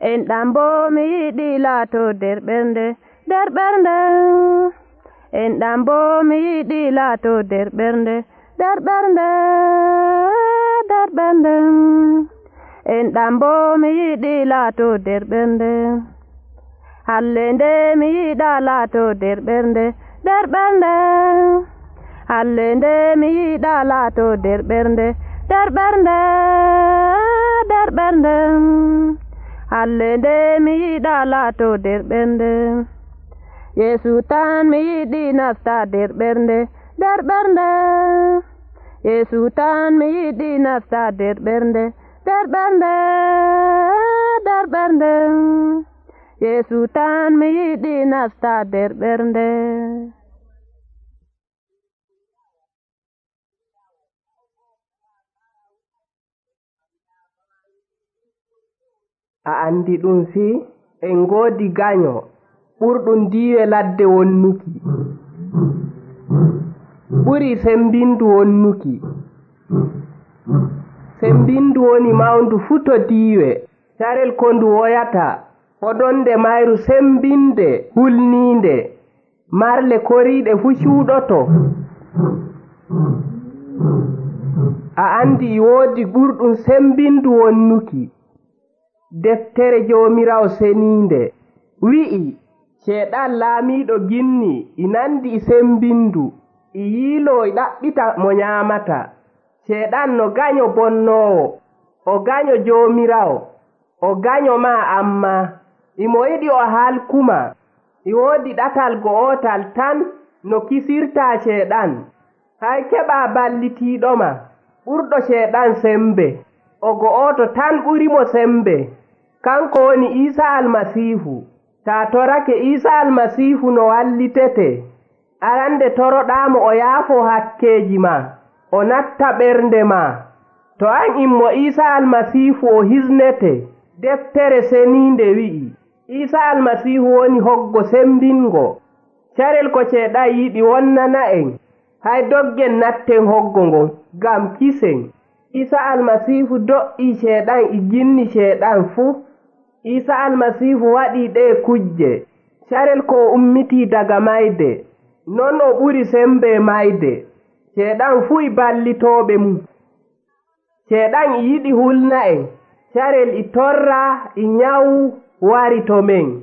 Enɗam boo mi yiɗi laatoo nder ɓernde, nder ɓernde. Enɗam boo mi yiɗi laatoo nder ɓernde, nder ɓernde, nder ɓernde. Enɗam boo mi yiɗi laatoo nder ɓernde. Halleende mi yiɗa laatoo nder ɓernde, nder ɓernde. Halleende mi yiɗa laatoo nder ɓernde, nder ɓernde, nder ɓernde. Halleende mi yiɗa laatoo nder ɓernde. Yeesu tan mi yiɗi nasta nder ɓernde, nder ɓernde. Yeesu tan mi yiɗi nasta nder ɓernde, nder ɓernde, nder ɓernde. Yeesu tan mi yiɗi nasta nder ɓernde. A andi ɗum fii en ngoodi ganyo ɓurɗum diiwe ladde wonnuki, ɓuri sembindu wonnuki. Sembindu woni mawndu fuu to diiwe, carel ko ndu woyata hoɗonde mayru sembinde hulniinde, marle koriiɗe fuu cuuɗoto. A andi e woodi ɓurɗum sembindu wonnuki. Deftere Joomiraawo seniinde wi'i ceeɗan laamiiɗo ginni e nandi e sembindu, e yiiloo e ɗaɓɓita mo nyaamata. Ceeɗan no ganyo bonnoowo, o ganyo Joomiraawo, o ganyo maa amma, imo yiɗi o halkuma. E woodi ɗatal go'otal tan no kisirtaa ceeɗan, hay keɓaa ballitiiɗoma ɓurɗo ceeɗan sembe, o go'oto tan ɓurimo sembe, kanko woni Iisaa Almasiihu. Taa torake Iisaa Almasiihu no wallitete, arande toroɗaamo o yaafoo hakkeeji ma, o natta ɓernde ma. To an immo Iisaa Almasiihu o hisnete. Deftere seniinde wi'i Isa almasihu woni hoggo sembingo. Carel ko ceeɗan yiɗi wonnana en, hay doggen natten hoggo ngon ngam kisen. Isa almasihu do'ii ceeɗan e ginni ceeɗan fuu. Isa almasihu waɗii ɗee kujje. Carel ko ummitii daga mayde, non o ɓuri sembe mayde. Ceeɗan fuu e ballitooɓe mum. Ceeɗan e yiɗi hulna en. Carel e torra e nyawu wari to men.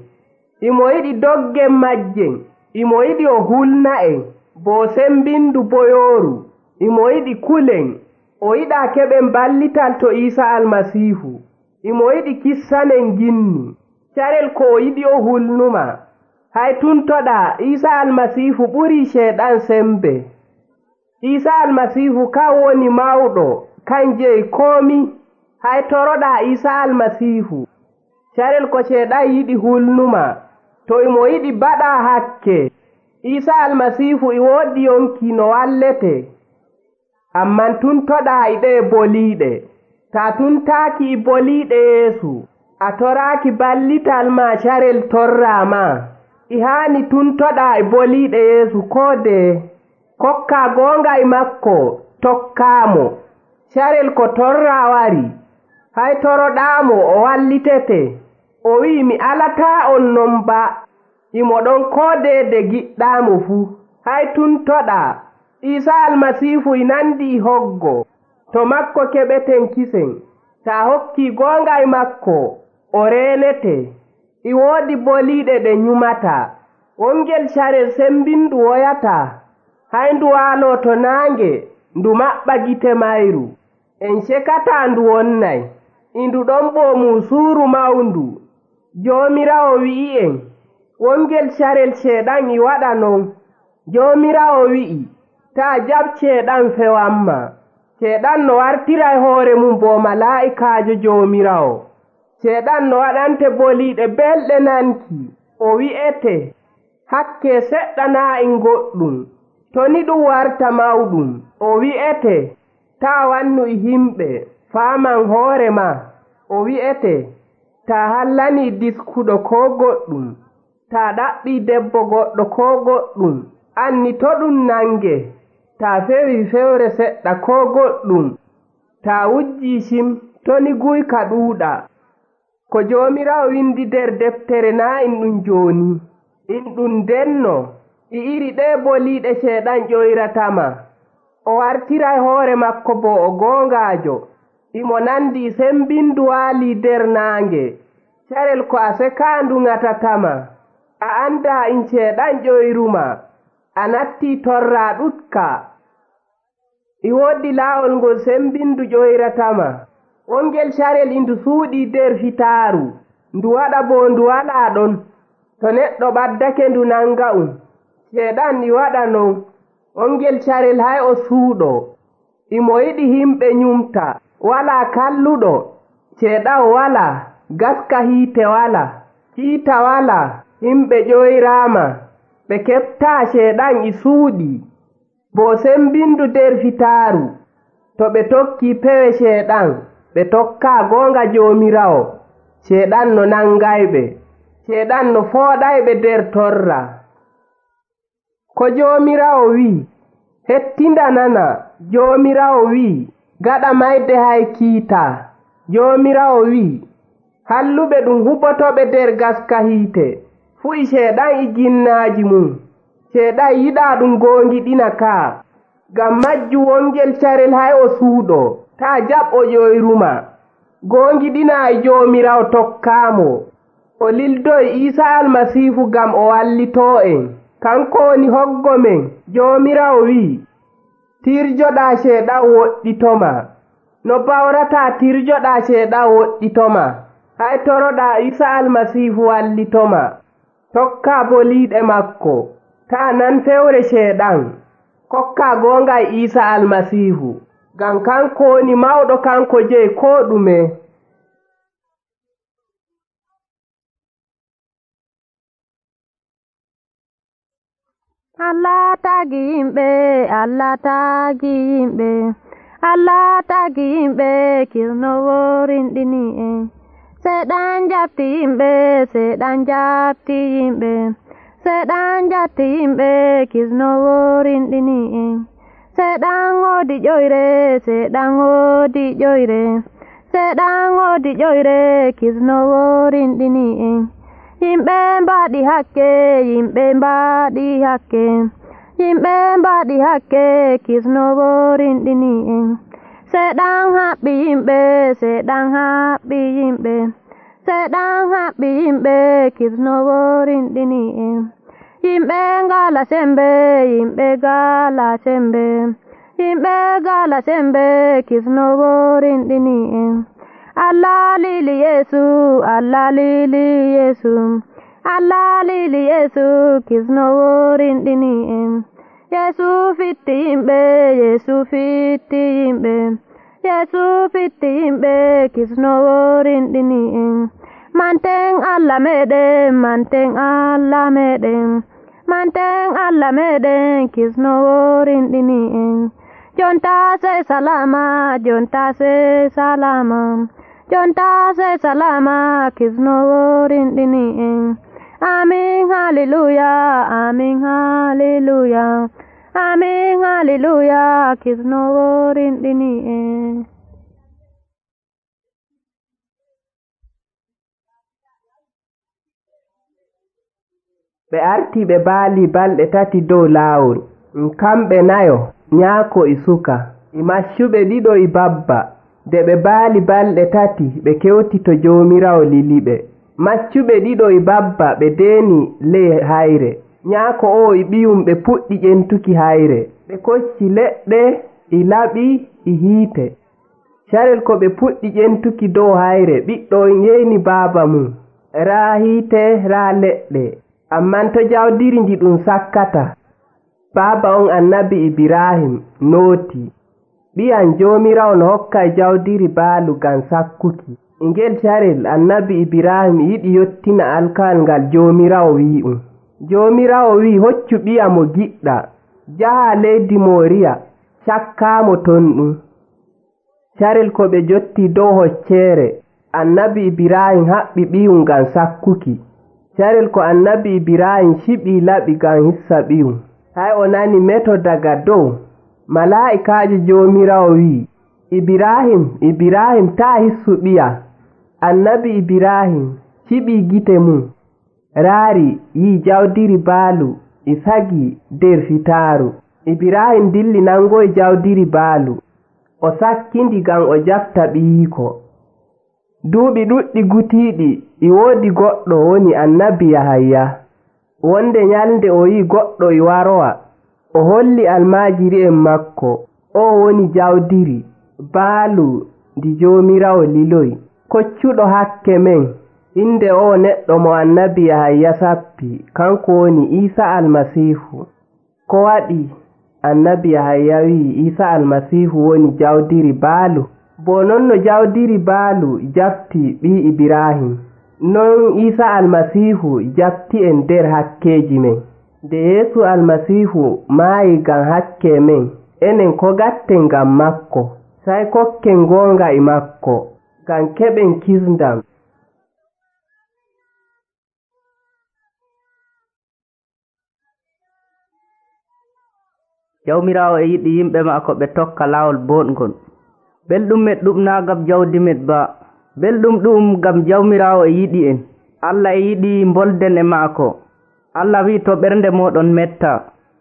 Imo yiɗi doggen majjen. Imo yiɗi o hulna en. Bo sembindu boyooru. Imo yiɗi kulen. O yiɗaa keɓen ballital to Isa almasihu. Imo yiɗi kissanen ginni. Carel ko o yiɗi o hulnuma. Hay tuntoɗaa Isa almasihu ɓurii ceeɗan sembe. Isa almasihu kan woni mawɗo, kan jeyi koomi. Hay toroɗaa Isa almasihu. Carel ko ceeɗan yiɗi hulnuma, to imo yiɗi baɗaa hakke. Isa almasihu e woodi yonki no wallete. Amman tuntoɗaa e ɗee boliiɗe. Taa tuntaaki e boliiɗe Yeesu, a toraaki ballital maa carel torraama. E haani tuntoɗaa e boliiɗe Yeesu koo deye. Kokkaa goonga e makko, tokkaamo. Carel ko torraa wari, hay toroɗaamo o wallitete. O wi'i mi alataa on non ba. Imo ɗon koo deede giɗɗaamo fuu. Hay tuntoɗaa Isa almasihu e nandi e hoggo. To makko keɓeten kisen. Taa hokkii goonga e makko, o reenete. E woodi boliiɗe ɗe nyumata. Wongel carel sembindu woyataa. Hay ndu waaloo to naange, ndu maɓɓa gite mayru. En cekataa ndu wonnay. E ndu ɗon ɓoomuu suuru mawndu. Joomiraawo wi'i'en, wongel carel ceeɗan e waɗa non. Joomiraawo wi'i, taa jaɓ ceeɗan fewanma. Ceeɗan no wartiray hoore mum bo malaa'ikaajo Joomiraawo. Ceeɗan no waɗante boliiɗe belɗe nanki. O wi'ete, hakke seɗɗa naa en goɗɗum. To ni ɗum warta mawɗum, o wi'ete, taa wannu e himɓe, faaman hoore maa. O wi'ete, taa hallanii diskuɗo koo goɗɗum. Taa ɗaɓɓii debbo goɗɗo koo goɗɗum. Anni to ɗum nange. Taa fewi fewre seɗɗa koo goɗɗum. Taa wujjii cim, to ni guyka ɗuuɗa. Ko Joomiraawo windi nder deftere naa in ɗum jooni. In ɗum denno. E iri ɗee boliiɗe ceeɗan ƴoyratama. O wartiray hoore makko bo o goongaajo. Imo nandi sembindu waalii nder naange. Carel ko a sekaandu ŋatatama. A anndaa in ceeɗan ƴoyruma. A nattii torraa ɗutka. E woodi laawol ngol sembindu ƴoyratama. Wongel carel e ndu suuɗii nder fitaaru. Ndu waɗa bo ndu walaa ɗon. To neɗɗo ɓaddake ndu nanga'um. Ceeɗan e waɗa non. Wongel carel hay o suuɗo. Imo yiɗi himɓe nyumta. Walaa kalluɗo. Ceeɗan walaa. Gaska hiite walaa. Hiita walaa. Himɓe ƴoyraama. Ɓe keɓtaa ceeɗan e suuɗi. Bo sembindu nder fitaaru. To ɓe tokkii pewe ceeɗan, ɓe tokkaa goonga Joomiraawo. Ceeɗan no nangayɓe. Ceeɗan no fooɗayɓe nder torra. Ko Joomiraawo wi'i, hettinda nana. Joomiraawo wi'i, gaɗa mayde hay kiitaa. Joomiraawo wi'i, halluɓe ɗum huɓotoɓe nder gaska hiite. Fuu e ceeɗan e ginnaaji mum. Ceeɗan yiɗaa ɗum goongiɗina kaa. Ngam majju wongel carel hay o suuɗo. Taa jaɓ o ƴoyruma. Goongiɗinaa e Joomiraawo tokkaamo. O lildoy Isa almasihu ngam o wallitoo en. Kanko woni hoggo men. Joomiraawo wi'i, tirjoɗaa ceeɗan woɗɗitoma. No bawrataa tirjoɗaa ceeɗan woɗɗitoma. Hay toroɗaa Isa almasihu wallitoma. Tokkaa boliiɗe makko. Taa nan fewre ceeɗan. Kokkaa goonga e Isa almasihu. Ngam kanko woni mawɗo, kanko jeyi koo ɗume. Allah tagi yimɓe, Allah tagi yimɓe, Allah tagi yimɓe, kirnowo rinɗini en. Seɗan jabti yimɓe, seɗan jabti yimɓe, seɗan jabti yimɓe kisnowo rinɗini en. Seɗan woodi ƴoyre, seɗan woodi ƴoyre, seɗan woodi ƴoyre kisnowo rinɗini en. Yimɓe mbaɗi hakke, yimɓe mbaɗi hakke, yimɓe mbaɗi hakke kisnowo rinɗini en. Seɗan haɓɓi yimɓe, seɗan haɓɓi yimɓe, seɗan haɓɓi yimɓe kisnowo rinɗini en. Yimɓe ngala sembe, yimɓe ngala sembe, yimɓe ngala sembe kisnowo rinɗini en. Allah lili Yesu, Allah lili Yesu, Allah lili Yesu kisnowo rinɗini en. Yesu fitti yimɓe, Yesu fitti yimɓe, Yesu fitti yimɓe kisnowo rinɗini en. Manten Allah meɗen, manten Allah meɗen, manten Allah meɗen kisnowo rinɗini en. Jonta sai salama, jonta sai salama, jonta sai salama kisnowo rinɗini en. Amin hallelujah, amin hallelujah, amin hallelujah kisnowo rinɗini en. ɓe arti ɓe baali balɗe tati dow laawol. Kamɓe nayo, nyaako e suka, e maccuɓe ɗiɗo e babba. Nde ɓe baali balɗe tati ɓe kewti to Joomiraawo liliɓe. Maccuɓe ɗiɗo e babba ɓe deeni ley hayre. Nyaako o e ɓiyum ɓe puɗɗi ƴentuki hayre. Ɓe kocci leɗɗe e laɓi e hiite. Carel ko ɓe puɗɗi ƴentuki dow hayre, ɓiɗɗo on yeyni baaba mum. Raa hiite, raa leɗɗe. Amman to jawdiri ndi ɗum sakkata. Baaba on annabi Ibrahim nooti. Ɓiyan Joomiraawo no hokka jawdiri baalu ngam sakkuki. Ngel carel annabi Ibrahim yiɗi yottina alkawal ngal Joomiraawo wi'um. Joomiraawo wi hoccu ɓiya mo giɗɗa, jaha leydi Moriya, cakkaamo ton ɗum. Carel ko ɓe jotti dow hocceere, annabi Ibrahim haɓɓi ɓiyum ngam sakkuki. Carel ko annabi Ibrahim shiɓi laɓi ngam hissa ɓiyum. Hay o nani meto daga dow. Malaa'ikaajo Joomiraawo wi, Ibrahim, Ibrahim taa hissu ɓiya. Annabi Ibrahim ciɓi gite mum, raari yi jawdiri baalu e sagi der fitaaru. Ibrahim dilli nangoy jawdiri baalu, o sakkindi ngam o jafta ɓiyiiko. Duuɓi ɗuɗɗi gutiiɗi e woodi goɗɗo woni annabi Yahaya. Wonde nyalnde o yi goɗɗo e warowa, o holli almaajiri'en makko, o woni jawdiri baalu ndi Joomiraawo liloy, koccuɗo hakke men. Inde o neɗɗo mo annabi Yahaya sappi kanko woni Iisa almasiihu. Ko waɗi annabi Yahaya wi Iisa almasiihu woni jawdiri baalu? Bo non no jawdiri baalu jafti ɓii Ibrahim, non Iisa almasiihu jafti en nder hakkeeji men. Nde Yeesu almasiihu maayi ngam hakke men, enen ko gatten ngam makko? Sai kokken goonga e makko, ngam keɓen kisndam. Jawmiraawo e yiɗi yimɓe maako ɓe tokka laawol boɗngol. Belɗum men ɗum naa ngam jawdi men ba, belɗum ɗum ngam Jawmiraawo e yiɗi en. Allah e yiɗi mbolden e maako. Allah wi to ɓernde moɗon metta,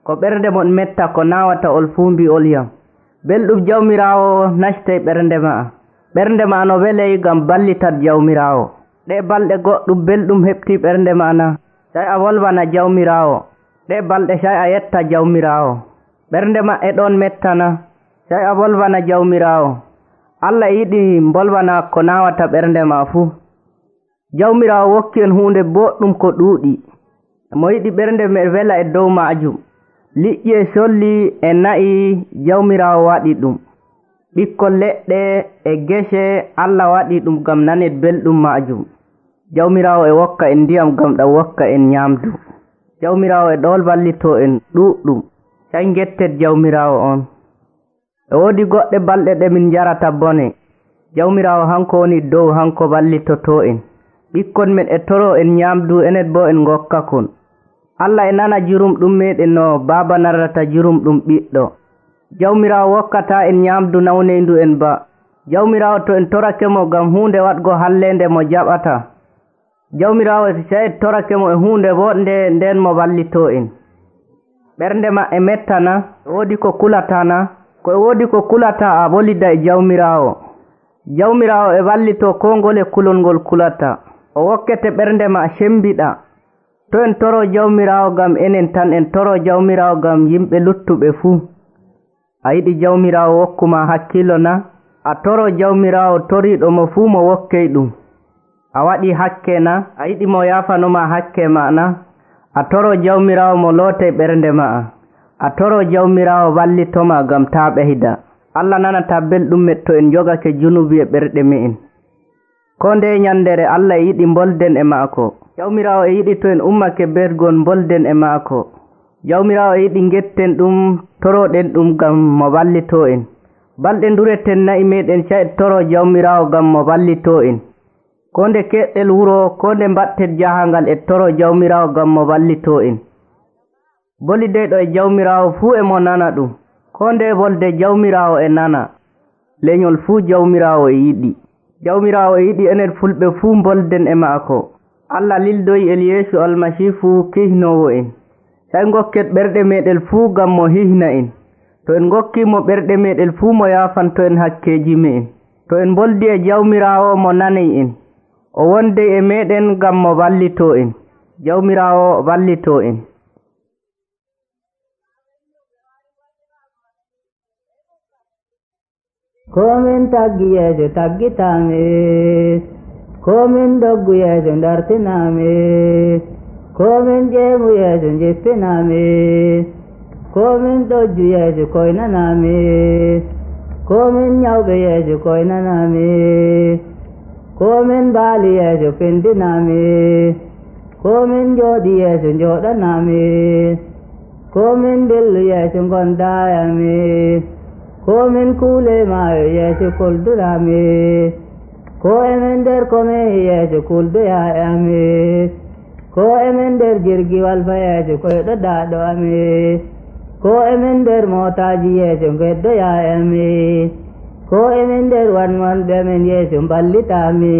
ko ɓernde mon metta ko naawata ol fuu mbi'olyam. Belɗum Jawmiraawo nastay ɓernde ma'a. Ɓernde ma no weley ngam ballitat Jawmiraawo. Ɗe balɗe goɗɗum belɗum heɓti ɓernde ma na, sai a wolwana Jawmiraawo. Ɗe balɗe sai a yetta Jawmiraawo. Ɓernde ma e ɗon mettana, sai a wolwana Jawmiraawo. Allah yiɗi mbolwana ko naawata ɓernde ma fuu. Jawmiraawo wokki en huunde boɗɗum ko ɗuuɗi, mo yiɗi ɓernde me wela e dow maajum. Liƴƴi e solli e na'i Jawmiraawo waɗi ɗum. Ɓikkol leɗɗe e gese Allah waɗi ɗum ngam nanen belɗum maajum. Jawmiraawo e wokka en ndiyam ngam ɗam wokka en ñaamdu. Jawmiraawo e ɗol wallito en ɗuuɗɗum. Sai ngettet Jawmiraawo on. E woodi goɗɗe balɗe ɗe min jarata bone. jawmiraawo hanko woni dow, hanko ballitoto en. ɓikkon men e toro en ñaamdu, enen bo en gokkakon. Allah e nana jurum ɗum meɗen no baaba narrata jurum ɗum ɓiɗɗo. jawmiraawo wokkata en ñaamdu nawneyndu en ba. jawmiraawo to en torake mo ngam huunde waɗgo hallende mo jaɓata. jawmiraawo so en torake mo e huunde woɗnde nden mo wallito en. ɓernde ma e mettana, woodi ko kulatana, ko e woodi ko kulata a wolida e jawmiraawo. jawmiraawo e wallito ko ngole kulol ngol kulata. o wokkete ɓernde ma sembiɗa. to en toro jawmiraawo ngam enen tan, en toro jawmiraawo ngam yimɓe luttuɓe fuu. a yiɗi jawmiraawo wokkuma hakkilo na? a toro jawmiraawo toriiɗo mo fuu mo wokkey ɗum. a waɗi hakke na? a yiɗi mo yaafanoma hakke ma na? a toro jawmiraawo mo lootay ɓernde ma'a. a toro jawmiraawo wallitoma ngam taa ɓeyda. Allah nanata belɗum men to en jogake junubi e ɓerɗe me'en. ko nde nyandere Allah e yiɗi bolden e maako. jawmiraawo e yiɗi to en ummake bergon bolden e maako. jawmiraawo e yiɗi ngetten ɗum, toroɗen ɗum ngam mo wallito en. balɗe ndureten nayi meɗen ca en toro jawmiraawo ngam mo wallito en. ko nde keɗɗel wuro, ko nde mbatten jahangal e toro jawmiraawo ngam mo wallito en. bolideyɗo e jawmiraawo fuu e mo nana ɗum. ko nde bolde jawmiraawo e nana. leñol fuu jawmiraawo e yiɗi. jawmiraawo e yiɗi enen fulɓe fuu bolden e maako. Allah lildoyi Eliyeesu almasiihu kihnowo en. say ngokket ɓerɗe meɗen fuu ngam mo hihna en. to en gokkimo ɓerɗe meɗen fuu mo yaafanto en hakkeji me'en. to en boldi e jawmiraawo mo nanay en. o wondey e meɗen ngam mo wallito en. jawmiraawo wallito en. komin taggi yeeso taggitame, komin doggu yeeso dartiname, komin ƴeemu yeeso jippiname, komin ɗojju yeeso koynaname, komin ñawɓe yeeso koynaname, komin baali yeeso pindiname, komin jooɗi yeeso jooɗaname, komin dillu yeeso gondayame, komin kuule maayo yeeso kuldurame, ko emen nder komin yeeso kuldoyayame, ko emen nder jirgiwal fa yeeso koyɗo daaɗo ame, ko emen nder mootaji yeeso geddoyayame, ko emen nder wanwanɓe men yeeso mballitami,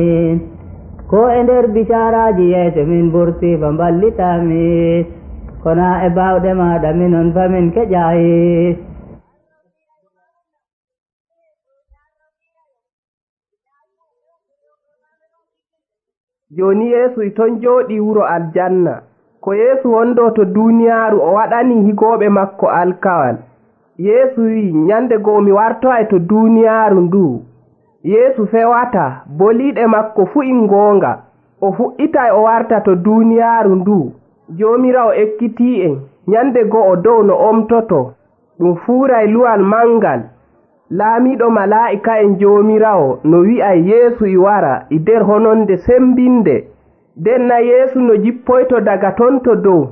ko e nder bisaraji yeeso min burti fa mballitami, kona e bawɗe maɗa minon fa min keƴayi. joni Yeesu ton jooɗi wuro aljanna. ko Yeesu wondo to duniyaaru o waɗani higooɓe makko alkawal. Yeesu wi nyande goo mi wartoy to duniyaaru ndu. Yeesu fewata boliɗe makko fu in goonga. o fuɗɗitay o warta to duniyaaru ndu. Joomiraawo ekkiti en nyande goo o dow no omtoto. ɗum fuuray luwal mangal. laamiɗo malaa'ika en joomiraawo no wi'ay Yeesu i wara i nder hononde sembinde. nden na Yeesu no jippoyto daga ton to dow.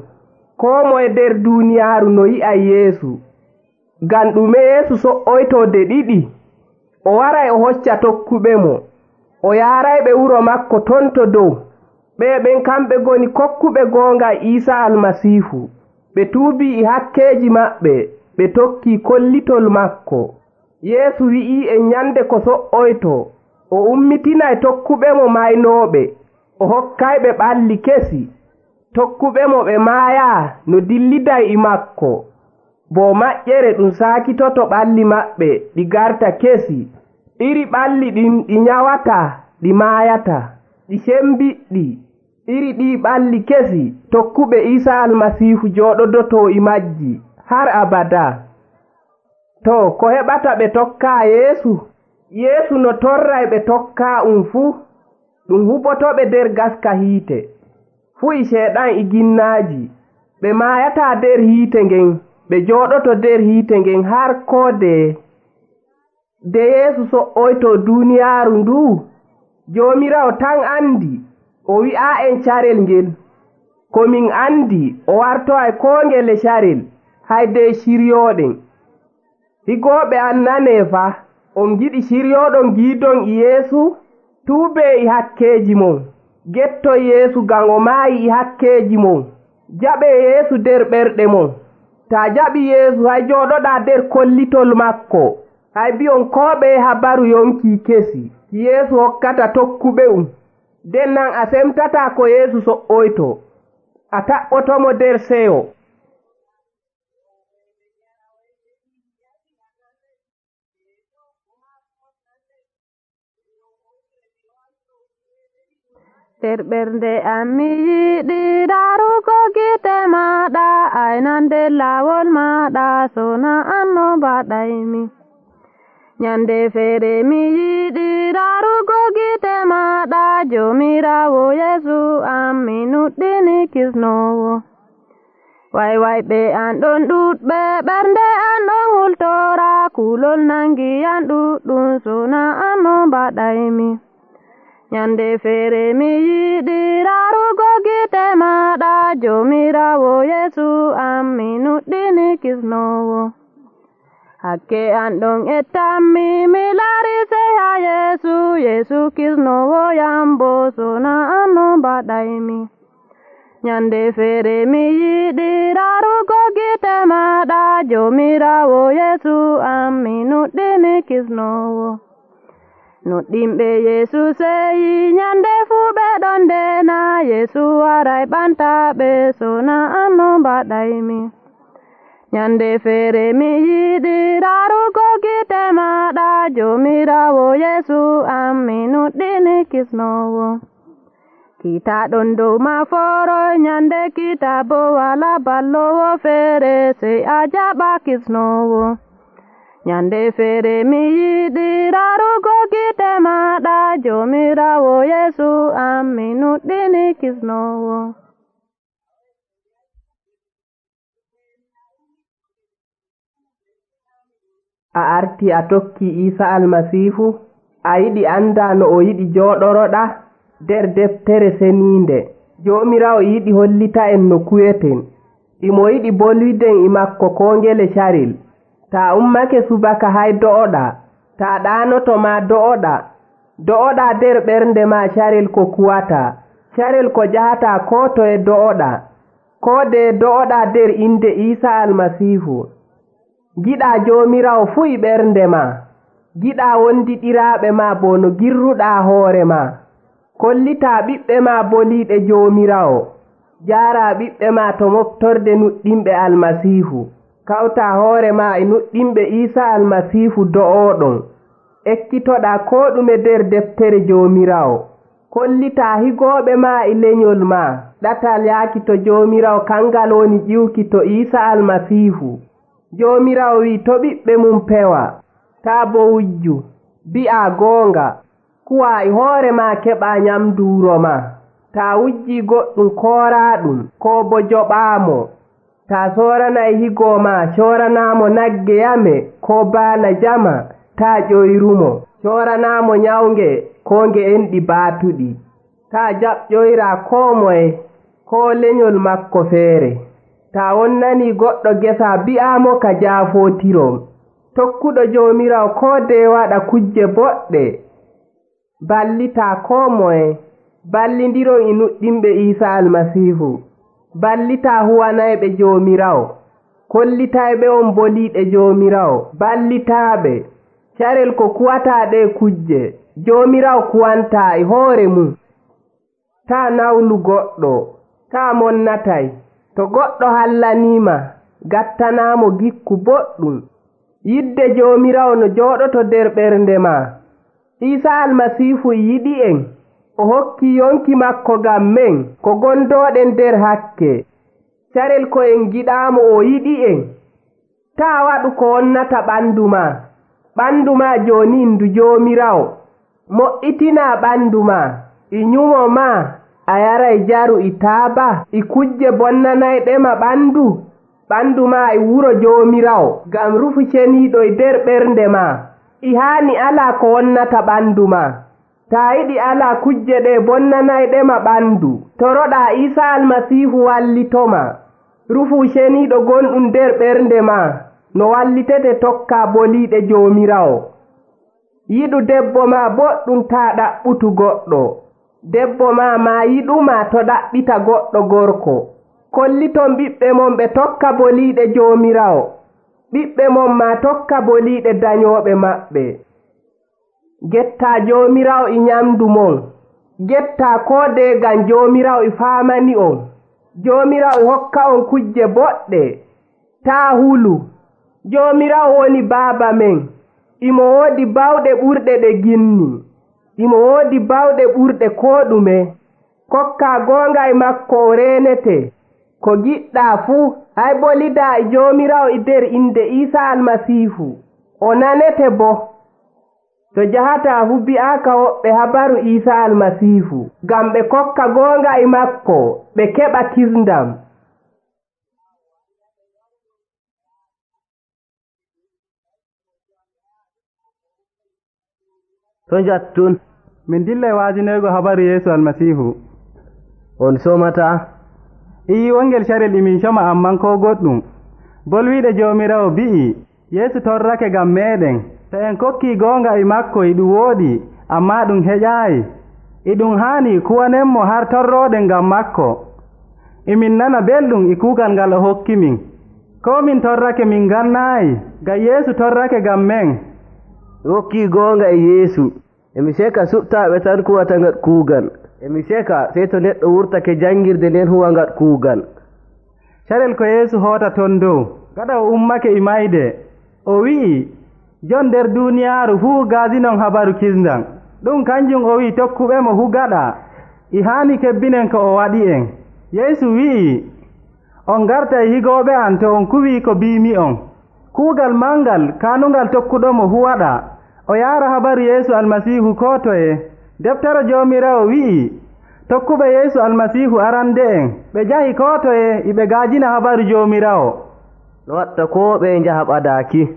koo moye nder duuniyaaru no yi'ay Yeesu. ngam ɗume Yeesu so'oyto de ɗiɗi. o waray o hocca tokkuɓe mo. o yaarayɓe wuro makko ton to dow. ɓe ɓen kamɓe goni kokkuɓe goonga Iisa almasiihu. ɓe tuubi i hakkeeji maɓɓe, ɓe tokki kollitol makko. Yeesu wi'i en nyande ko so'oyto o ummitinay tokkuɓe mo maynooɓe, o hokkayɓe ɓalli kesi. tokkuɓe mo ɓe maaya no dilliday i makko, bo maƴƴere ɗum saakitoto ɓalli maɓɓe ɗi garta kesi. iri ɓalli ɗin ɗi nyawata ɗi maayata, ɗi sembiɗɗi. iri ɗi ɓalli kesi tokkuɓe Iisa almasiihu jooɗodoto i majji har abada. to ko heɓata ɓe tokka Yeesu? Yeesu no torray ɓe tokka um fuu ɗum huɓotoɓe nder gaska hiite. fuu i seeɗan i ginnaaji. ɓe maayata nder hiite ngen, ɓe jooɗoto nder hiite ngen har koode. de Yeesu so'oyto duniyaaru ndu, Joomiraawo tan andi. o wi'a en carel ngel. komin andi o wartoy koo ngele carel hayde shiryooɗen. higooɓe an nanee fa, on giɗi siryoɗon giidon e Yeesu tuube e hakkeeji mon getto Yeesu ngam o maayi e hakkeeji mon jaɓe Yeesu nder ɓerɗe mon taa jaɓi Yeesu hay jooɗoɗaa nder kollitol makko hay bi'on koo ɓeye habaru yonki kesi Yeesu hokkata tokkuɓe um nden nan a semtataa ko Yeesu so'oyto a taɓɓotomo nder seyo. nder ɓernde am mi yiɗi darugo gite maɗa aynande laawol maɗa sona an no mbaɗaymi nyande feere mi yiɗi darugo gite maɗa jomirawo Yeesu am mi nuɗɗini kisnowo way way ɓe an ɗon ɗuɗɓe ɓernde an ɗon hultora kulol nangi an ɗuɗɗum sona an no mbaɗaymi nyande feere mi yiɗi darugo gite maɗa jomirawo Yeesu am mi nuɗɗini kisnowo hakke an ɗon ettanmi mi laari sey ha Yeesu Yeesu kisnowo yambo sona an no mbaɗaymi nyande feere mi yiɗi darugo gite maɗa jomirawo Yeesu am mi nuɗɗini kisnowo nuɗɗinɓe Yeesu seyi nyande fuu ɓe ɗon ndena Yeesu waray ɓantaɓe sona an no mbaɗaymi nyande feere mi yiɗi darugo gite maɗa jomirawo Yeesu am mi nuɗɗini kisnowo kita ɗon dow maforoy nyande kita bo wala ballowo feere sey a jaɓa kisnowo nyande feere mi yiɗi darugo gite maɗa jomirawo Yeesu am mi nuɗɗini kisnowo a arti a tokki Iisa almasiihu a yiɗi anda no o yiɗi jooɗoroɗa nder deftere seniinde joomirawo yiɗi hollita en no kuyeten imo yiɗi bolwiden e makko koo ngele caril taa ummake subaka hay do'oɗa taa ɗaanoto ma do'oɗa do'oɗa nder ɓernde ma carel ko kuwata carel ko jahataa koo toye do'oɗa koo de do'oɗa nder inde Iisa almasiihu giɗaa joomirawo fuu e ɓernde ma giɗaa wondiɗiraaɓe ma bo no girruɗaa hoore ma kollitaa ɓiɓɓe ma boliiɗe joomirawo jaaraa ɓiɓɓe ma to moftorde nuɗɗinɓe almasiihu kawtaa hoore ma e nuɗɗinɓe Iisa almasiihu do'ooɗon ekkitoɗaa koo ɗume nder deftere joomirawo kollitaa higooɓe ma e lenyol ma ɗatal yaaki to joomirawo kangal woni ƴiwki to Iisa almasiihu joomirawo wi to ɓiɓɓe mum pewa taa bo wujju bi'aa goonga kuwaa e hoore ma keɓaa nyamdu wuro ma taa wujjii goɗɗum kooraaɗum koo bo joɓaamo taa soorana e higoo ma cooranaamo nagge yame koo baana jama taa ƴoyrumo cooranaamo nyawnge koo nge enɗi baatuɗi taa jaɓƴoyraa koo moye koo lenyol makko feere taa wonnanii goɗɗo gesa bi'aamo ka jaafootirom tokkuɗo joomirawo koo dee waɗa kujje boɗɗe ballitaa koo moye ballindiron e nuɗɗinɓe Iisa almasiihu ballitaa huwanayɓe joomirawo kollitayɓe on boliiɗe joomirawo ballitaaɓe carel ko kuwataa ɗe kujje joomirawo kuwantaa e hoore mum taa nawlu goɗɗo taa monnatay to goɗɗo hallaniima gattanaamo gikku boɗɗum yidde joomirawo no jooɗoto nder ɓernde ma Iisa almasiihu yiɗi en o hokki yonki makko ngam men ko gondooɗen nder hakke carel ko en giɗaamo o yiɗi en taa waɗu ko wonnata ɓanndu ma ɓanndu ma jooni ndu joomirawo moƴƴitinaa ɓanndu ma e nyumo ma a yaray jaru e taaba e kujje bonnanayɗema ɓanndu ɓanndu ma e wuro joomirawo ngam rufu ceniiɗo e nder ɓernde ma i haani alaa ko wonnata ɓanndu ma taa yiɗi alaa kujje ɗe bonnanayɗema ɓanndu toroɗaa Iisa almasiihu wallitoma rufu ceniiɗo gonɗum nder ɓernde ma no wallitete tokkaa boliiɗe joomirawo yiɗu debbo ma boɗɗum taa ɗaɓɓutu goɗɗo. Debbo ma ma yiɗuma to ɗaɓɓita goɗɗo gorko. Kolliton ɓiɓɓe mon ɓe tokka boliiɗe Joomiraawo. Ɓiɓɓe mon ma tokka boliiɗe dañooɓe maɓɓe. Gettaa Joomiraawo e nyamdu mon. Gettaa koode ngam Joomiraawo e faamani on. Joomiraawo e hokka on kujje boɗɗe. Taa hulu. Joomiraawo woni baaba men. Imo woodi bawɗe ɓurɗe ɗe ginni. Imo woodi bawɗe ɓurɗe koo ɗume. Kokkaa goonga e makko o reenete. Ko giɗɗaa fuu hay bolidaa e Joomiraawo e nder inde Iisaa Almasiihu. O nanete bo. To jahataa fu bi'aaka woɓɓe habaru Iisaa Almasiihu, ngam ɓe kokka goonga e makko ɓe keɓa kisndam. To njattun min dillay waajinoygo habaru Yeesu Almasiihu. On somata ii wongel carel imin coma amman koo goɗɗum. Bolwiiɗe Joomiraawo bi'i Yeesu torrake ngam meeɗen. To en kokkii goonga e makko e ɗum wooɗi ammaa ɗum heƴaayi. E ɗum haani kuwanenmo har torrooɗen ngam makko. Emin nana belɗum e kuugal ngal o hokkimin. Koo min torrake min gannaayi, ngam Yeesu torrake ngam men. wokkii goonga e Yeesu. Emi seka suɓtaaɓe tan kuwata ngat kuugal. Emi seka sey to neɗɗo wurtake janngirde nden huwa ngat kuugal. Carel ko Yeesu hoota ton dow, gaɗa o ummake e mayde, o wi'i jon nder duuniyaaru fuu gaadinon habaru kisndam. Ɗum kanjum o wi'i tokkuɓemo fu gaɗa. E haani kebbinen ko o waɗi en. Yeesu wi'i on garta e higooɓe am to on kuwii ko biimi on. Kuugal mangal kaanungal tokkuɗomo fu waɗa. O yaara habaru Yeesu Almasiihu koo toye. Deftere Joomiraawo wi'i tokkuɓe Yeesu Almasiihu arande en ɓe njahi koo toye e ɓe gaajina habaru Joomiraawo. No watta koo ɓe njaha ɓadaaki.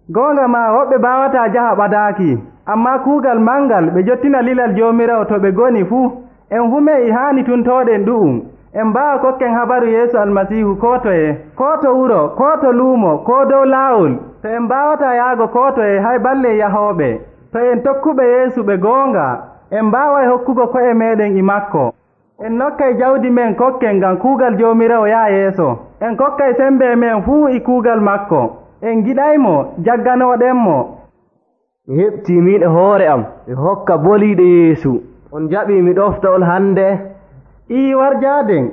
Goonga ma woɓɓe baawataa jaha ɓadaaki, ammaa kuugal mangal ɓe jottina lilal Joomiraawo to ɓe ngoni fuu. En fume e haani tuntooɗen ɗu'um. En mbaawa kokken habaru Yeesu Almasiihu koo toye, koo to wuro, koo to luumo, koo dow laawol. To en mbaawataa yahgo koo toye hay balle yahooɓe. To en tokkuɓe Yeesu ɓe goonga, en mbaaway hokkugo ko'e meeɗen e makko. En nokkay jawdi men kokken ngam kuugal Joomiraawo yaa yeeso. En kokkay sembe men fuu e kuugal makko. En giɗaymo jagganooɗenmo. Mi heɓtii min e hoore am mi hokka boliiɗe Yeesu. On jaɓii mi ɗofta on hannde. Ii warjaaden.